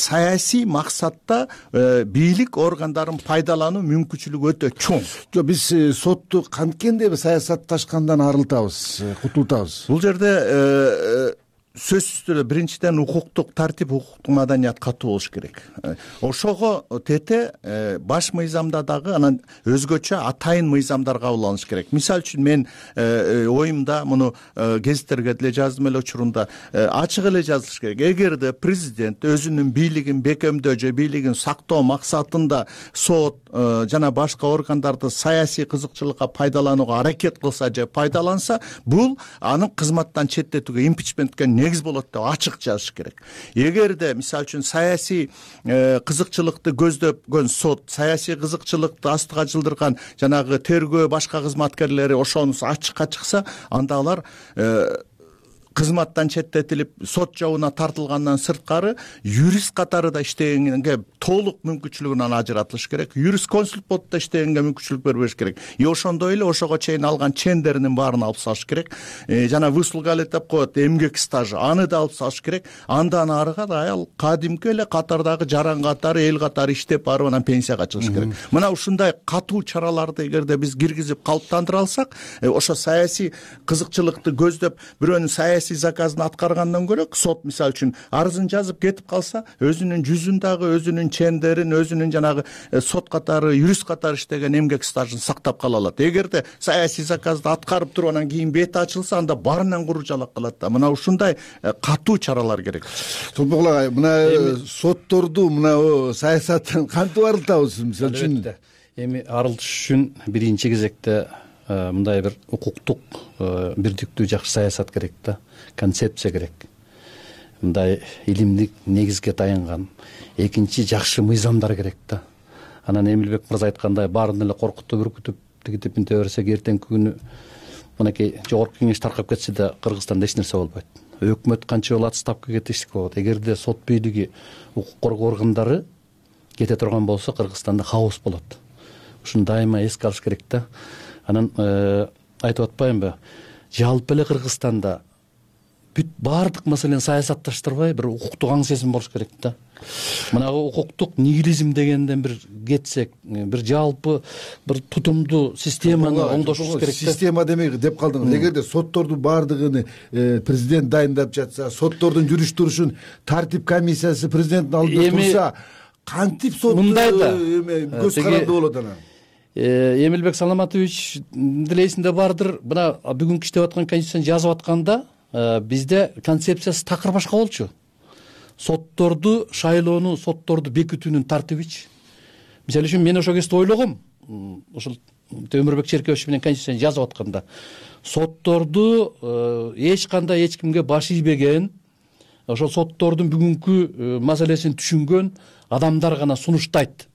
саясий максатта бийлик органдарын пайдалануу мүмкүнчүлүгү өтө чоң. Жок, биз сотту канткенде саясатташкандан арылтабыз, кутултабыз? Бул жерде сөзсүз түрдө биринчиден укуктук тартип, укуктук маданият катуу болуш керек. Ошого тете баш мыйзамда дагы анан өзгөчө атайын мыйзамдар кабыл алыныш керек. Мисалы үчүн мен оюмда муну гезиттерге деле жаздым эле учурунда, ачык эле жазылыш керек. Эгерде президент өзүнүн бийлигин бекемдөө же бийлигин сактоо максатында сот жана башка органдарды саясий кызыкчылыкка пайдаланууга аракет кылса же пайдаланса, бул анын кызматтан четтетүүгө, импичментке негиз болот деп ачык жазыш керек. Эгерде мисалы үчүн саясий кызыкчылыкты көздөгөн сот, саясий кызыкчылыкты астыга жылдырган жанагы тергөө башка кызматкерлери ошонусу ачыкка чыкса, анда алар кызматтан четтетилип сот жабына тартылгандан сырткары юрист катары да иштегенге толук мүмкүнчүлүгүнөн ажыратылыш керек, юрисконсульт болуп да иштегенге мүмкүнчүлүк бербеш керек. Ошондой эле ошого чейин алган чендеринин баарын алып салыш керек. Жана выслуга деп коет, эмгек стажы, аны да алып салыш керек. Андан арыга да аял кадимки эле катардагы жаран катары, эл катары иштеп барып анан пенсияга чыгыш керек. Мына ушундай катуу чараларды эгерде биз киргизип калыптандыра алсак, ошо саясий кызыкчылыкты көздөп бирөөнүн саясий заказын аткаргандан көрө, сот мисалы үчүн арызын жазып кетип калса, өзүнүн жүзүн дагы, өзүнүн чендерин, өзүнүн жанагы сот катары, юрист катары иштеген эмгек стажын сактап кала алат. Эгерде саясий заказды аткарып туруп анан кийин бети ачылса, анда баарынан куружалак калат да. Мына ушундай катуу чаралар керек. Толбок агай, мына сотторду мына саясаттан кантип арылтабыз? Мисалы үчүн эми арылтыш үчүн биринчи кезекте мындай бир укуктук бирдиктүү жакшы саясат керек да, концепция керек. Мындай илимдик негизге таянган. Экинчи жакшы мыйзамдар керек да. Анан Эмилбек мырза айткандай, баарын эле коркутуп, үркүтүп, тигитип инте берсек, эртеңки күнү мынакей жогорку кеңеш таркап кетсе да Кыргызстанда эч нерсе болбойт. Өкмөт канча жолу отставкага кетиштик болот. Эгерде сот бийлиги, укук коргоо органдары кете турган болсо, Кыргызстанда хаос болот. Ушуну дайыма эске алыш керек да. Анан айтып атпаймынбы, жалпы эле Кыргызстанда бүт баардык маселени саясатташтырбай бир укуктук аң сезим болуш керек да. Мына укуктук нигилизм дегенден бир кетсек, бир жалпы бир тутумдуу системаны оңдошубуз керек да. Система демек деп калдыңыз. Эгерде соттордун баардыгын президент дайындап жатса, соттордун жүрүш турушун тартип комиссиясы президенттин алдында турса, кантип сот мындай да көз каранды болот анан? Эмилбек Саламатович делесинде бардыр. Мына бүгүнкү иштеп аткан конституцияны жазып атканда бизде концепциясы такыр башка болчу. Сотторду шайлоону, сотторду бекитүүнүн тартибичи. Мисалы үчүн мен ошол кезде ойлогом, ошол Өмүрбек Черкебович менен конституцияны жазып атканда, сотторду эч кандай эч кимге баш ийбеген, ошол соттордун бүгүнкү маселесин түшүнгөн адамдар гана сунуштайт.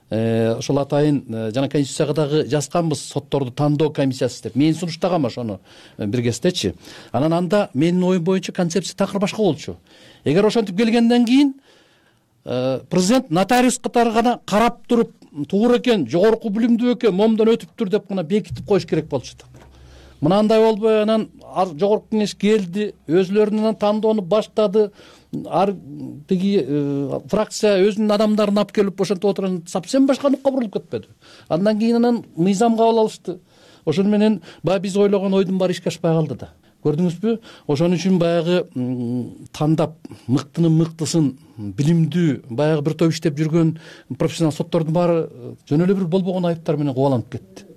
Ошол атайын жана конституцияга дагы жазганбыз, сотторду тандоо комиссиясы деп. Мен сунуштагам ошону бир кездечи. Анан анда менин оюм боюнча концепция такыр башка болчу. Эгер ошентип келгенден кийин президент нотариус катары гана карап туруп, туура экен, жогорку билимдүү экен, момдон өтүптүр деп гана бекитип коюш керек болчу да. Мына андай болбой, анан жогорку кеңеш келди, өзүлөрүнүн тандоону баштады, тиги фракция өзүнүн адамдарын алып келип ошентип отурган, совсем башка нукка бурулуп кетпеди. Андан кийин анан мыйзам кабыл алышты. Ошону менен баягы биз ойлогон ойдун баары ишке ашпай калды да. Көрдүңүзбү? Ошон үчүн баягы тандап мыктынын мыктысын, билимдүү, баягы бир топ иштеп жүргөн профессионал соттордун баары жөн эле бир болбогон айыптар менен кубаланып кетти.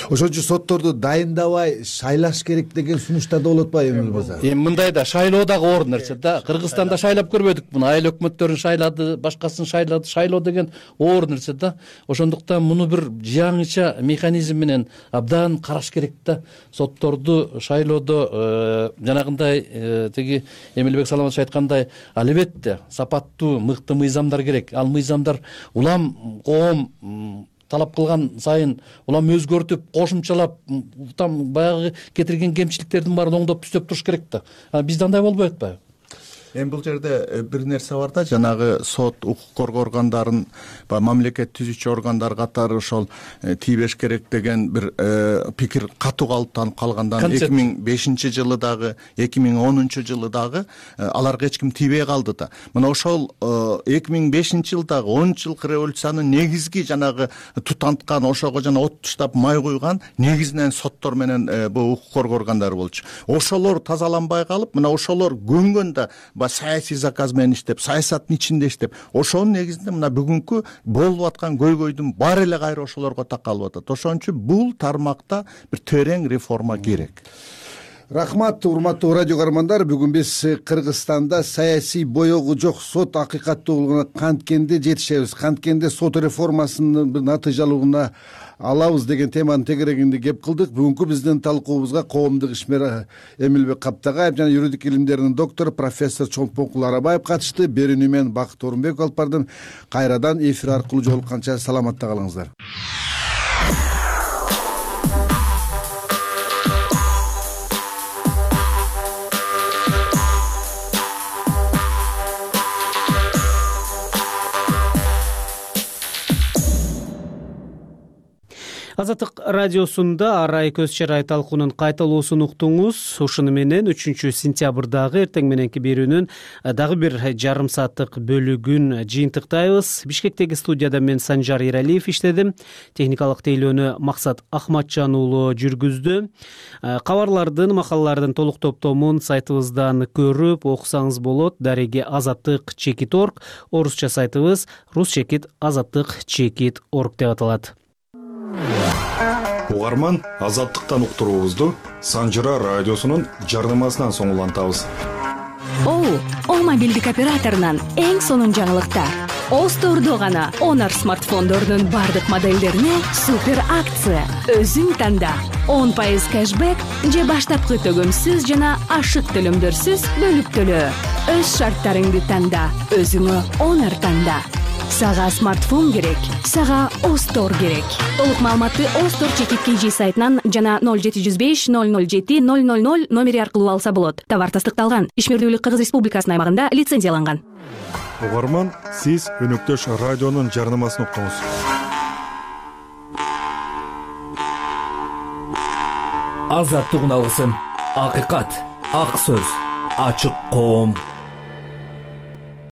Ошон үчүн сотторду дайындабай шайлаш керек деген сунуштар да болот атпайбы Эмил мырза? Мындай да, шайлоо дагы оор нерсе да. Кыргызстанда шайлап көрбөдүк муну, айыл өкмөттөрүн шайлады, башкасын шайлады. Шайлоо деген оор нерсе да. Ошондуктан муну бир жаңыча механизм менен абдан караш керек да. Сотторду шайлоодо жанагындай тиги Эмилбек Саламатович айткандай, албетте сапаттуу, мыкты мыйзамдар керек. Ал мыйзамдар улам коом талап кылган сайын улам өзгөртүп, кошумчалап, там баягы кетирген кемчиликтердин баарын оңдоп түзөп туруш керек да. Бизде андай болбой атпайбы? Эми бул жерде бир нерсе бар да, жанагы сот, укук коргоо органдарын, мамлекет түзүүчү органдар катары ошол тийбеш керек деген бир пикир катуу калыптанып калгандан 2005-жылы дагы, 2010-жылы дагы аларга эч ким тийбей калды да. Мына ошол 2005-жылдагы 10 жылкы революциянын негизги жанагы тутанткан, ошого жана от туштап май куйган негизинен соттор менен бул укук коргоо органдары болчу. Ошолор тазаланбай калып, мына ошолор көнгөн да саясий заказ менен иштеп, саясаттын ичинде иштеп, ошонун негизинде мына бүгүнкү болуп аткан көйгөйдүн баары эле кайра ошолорго такалып атат. Ошон үчүн бул тармакта бир терең реформа керек. Рахмат, урматтуу радио көрөрмандар. Бүгүн биз Кыргызстанда саясий боёгу жок сот акыйкаттуулугуна канткенде жетишебиз, канткенде сот реформасынын бир натыйжалуулугуна алабыз деген теманын тегерегинде кеп кылдык. Бүгүнкү биздин талкуубузга коомдук ишмер Эмилбек Каптагаев жана юридик илимдеринин доктору профессор Чолпонкул Арабаев катышты. Берүүнү мен Бакыт Орунбеков алып бардым. Кайрадан эфир аркылуу жолукканча саламатта калыңыздар. Азаттык радиосунда арай көз чарай талкуунун кайталоосун уктуңуз. Ушуну менен 3 сентябрдагы эртең мененки берүүнүн дагы бир жарым сааттык бөлүгүн жыйынтыктайбыз. Бишкектеги студияда мен Санжар Эралиев иштедим. Техникалык тейлөөнү Максат Ахматжан уулу жүргүздү. Кабарлардын, макалалардын толук топтомун сайтыбыздан көрүп окусаңыз болот. Дареги azattik.org, орусча сайтыбыз rus-azattik.org деп аталат. Угарман, азаттыктан уктуруубузду Санжыра радиосунун жарнамасынан соң улантабыз. О мобилдик операторунан эң сонун жаңылыктар. Остордо гана Honor смартфондорунун бардык моделдерине супер акция. Өзүң танда. 10% кэшбэк же баштапкы төгөмсүз жана ашык төлөмдөрсүз бөлүп төлөө. Өз шарттарыңды танда. Өзүңө Honor танда. Сага смартфон керек, сага Остор керек. Толук маалыматты Остор чекит KG сайтынан жана 0705 007 000 номери аркылуу алса болот. Товар тастыкталган. Ишмердүүлүк Кыргыз Республикасынын аймагында лицензияланган. Угарман, сиз өнөктөш радионун жарнамасын уктуңуз. Азаттык уналгысын. Акыйкат, ак сөз, ачык коом.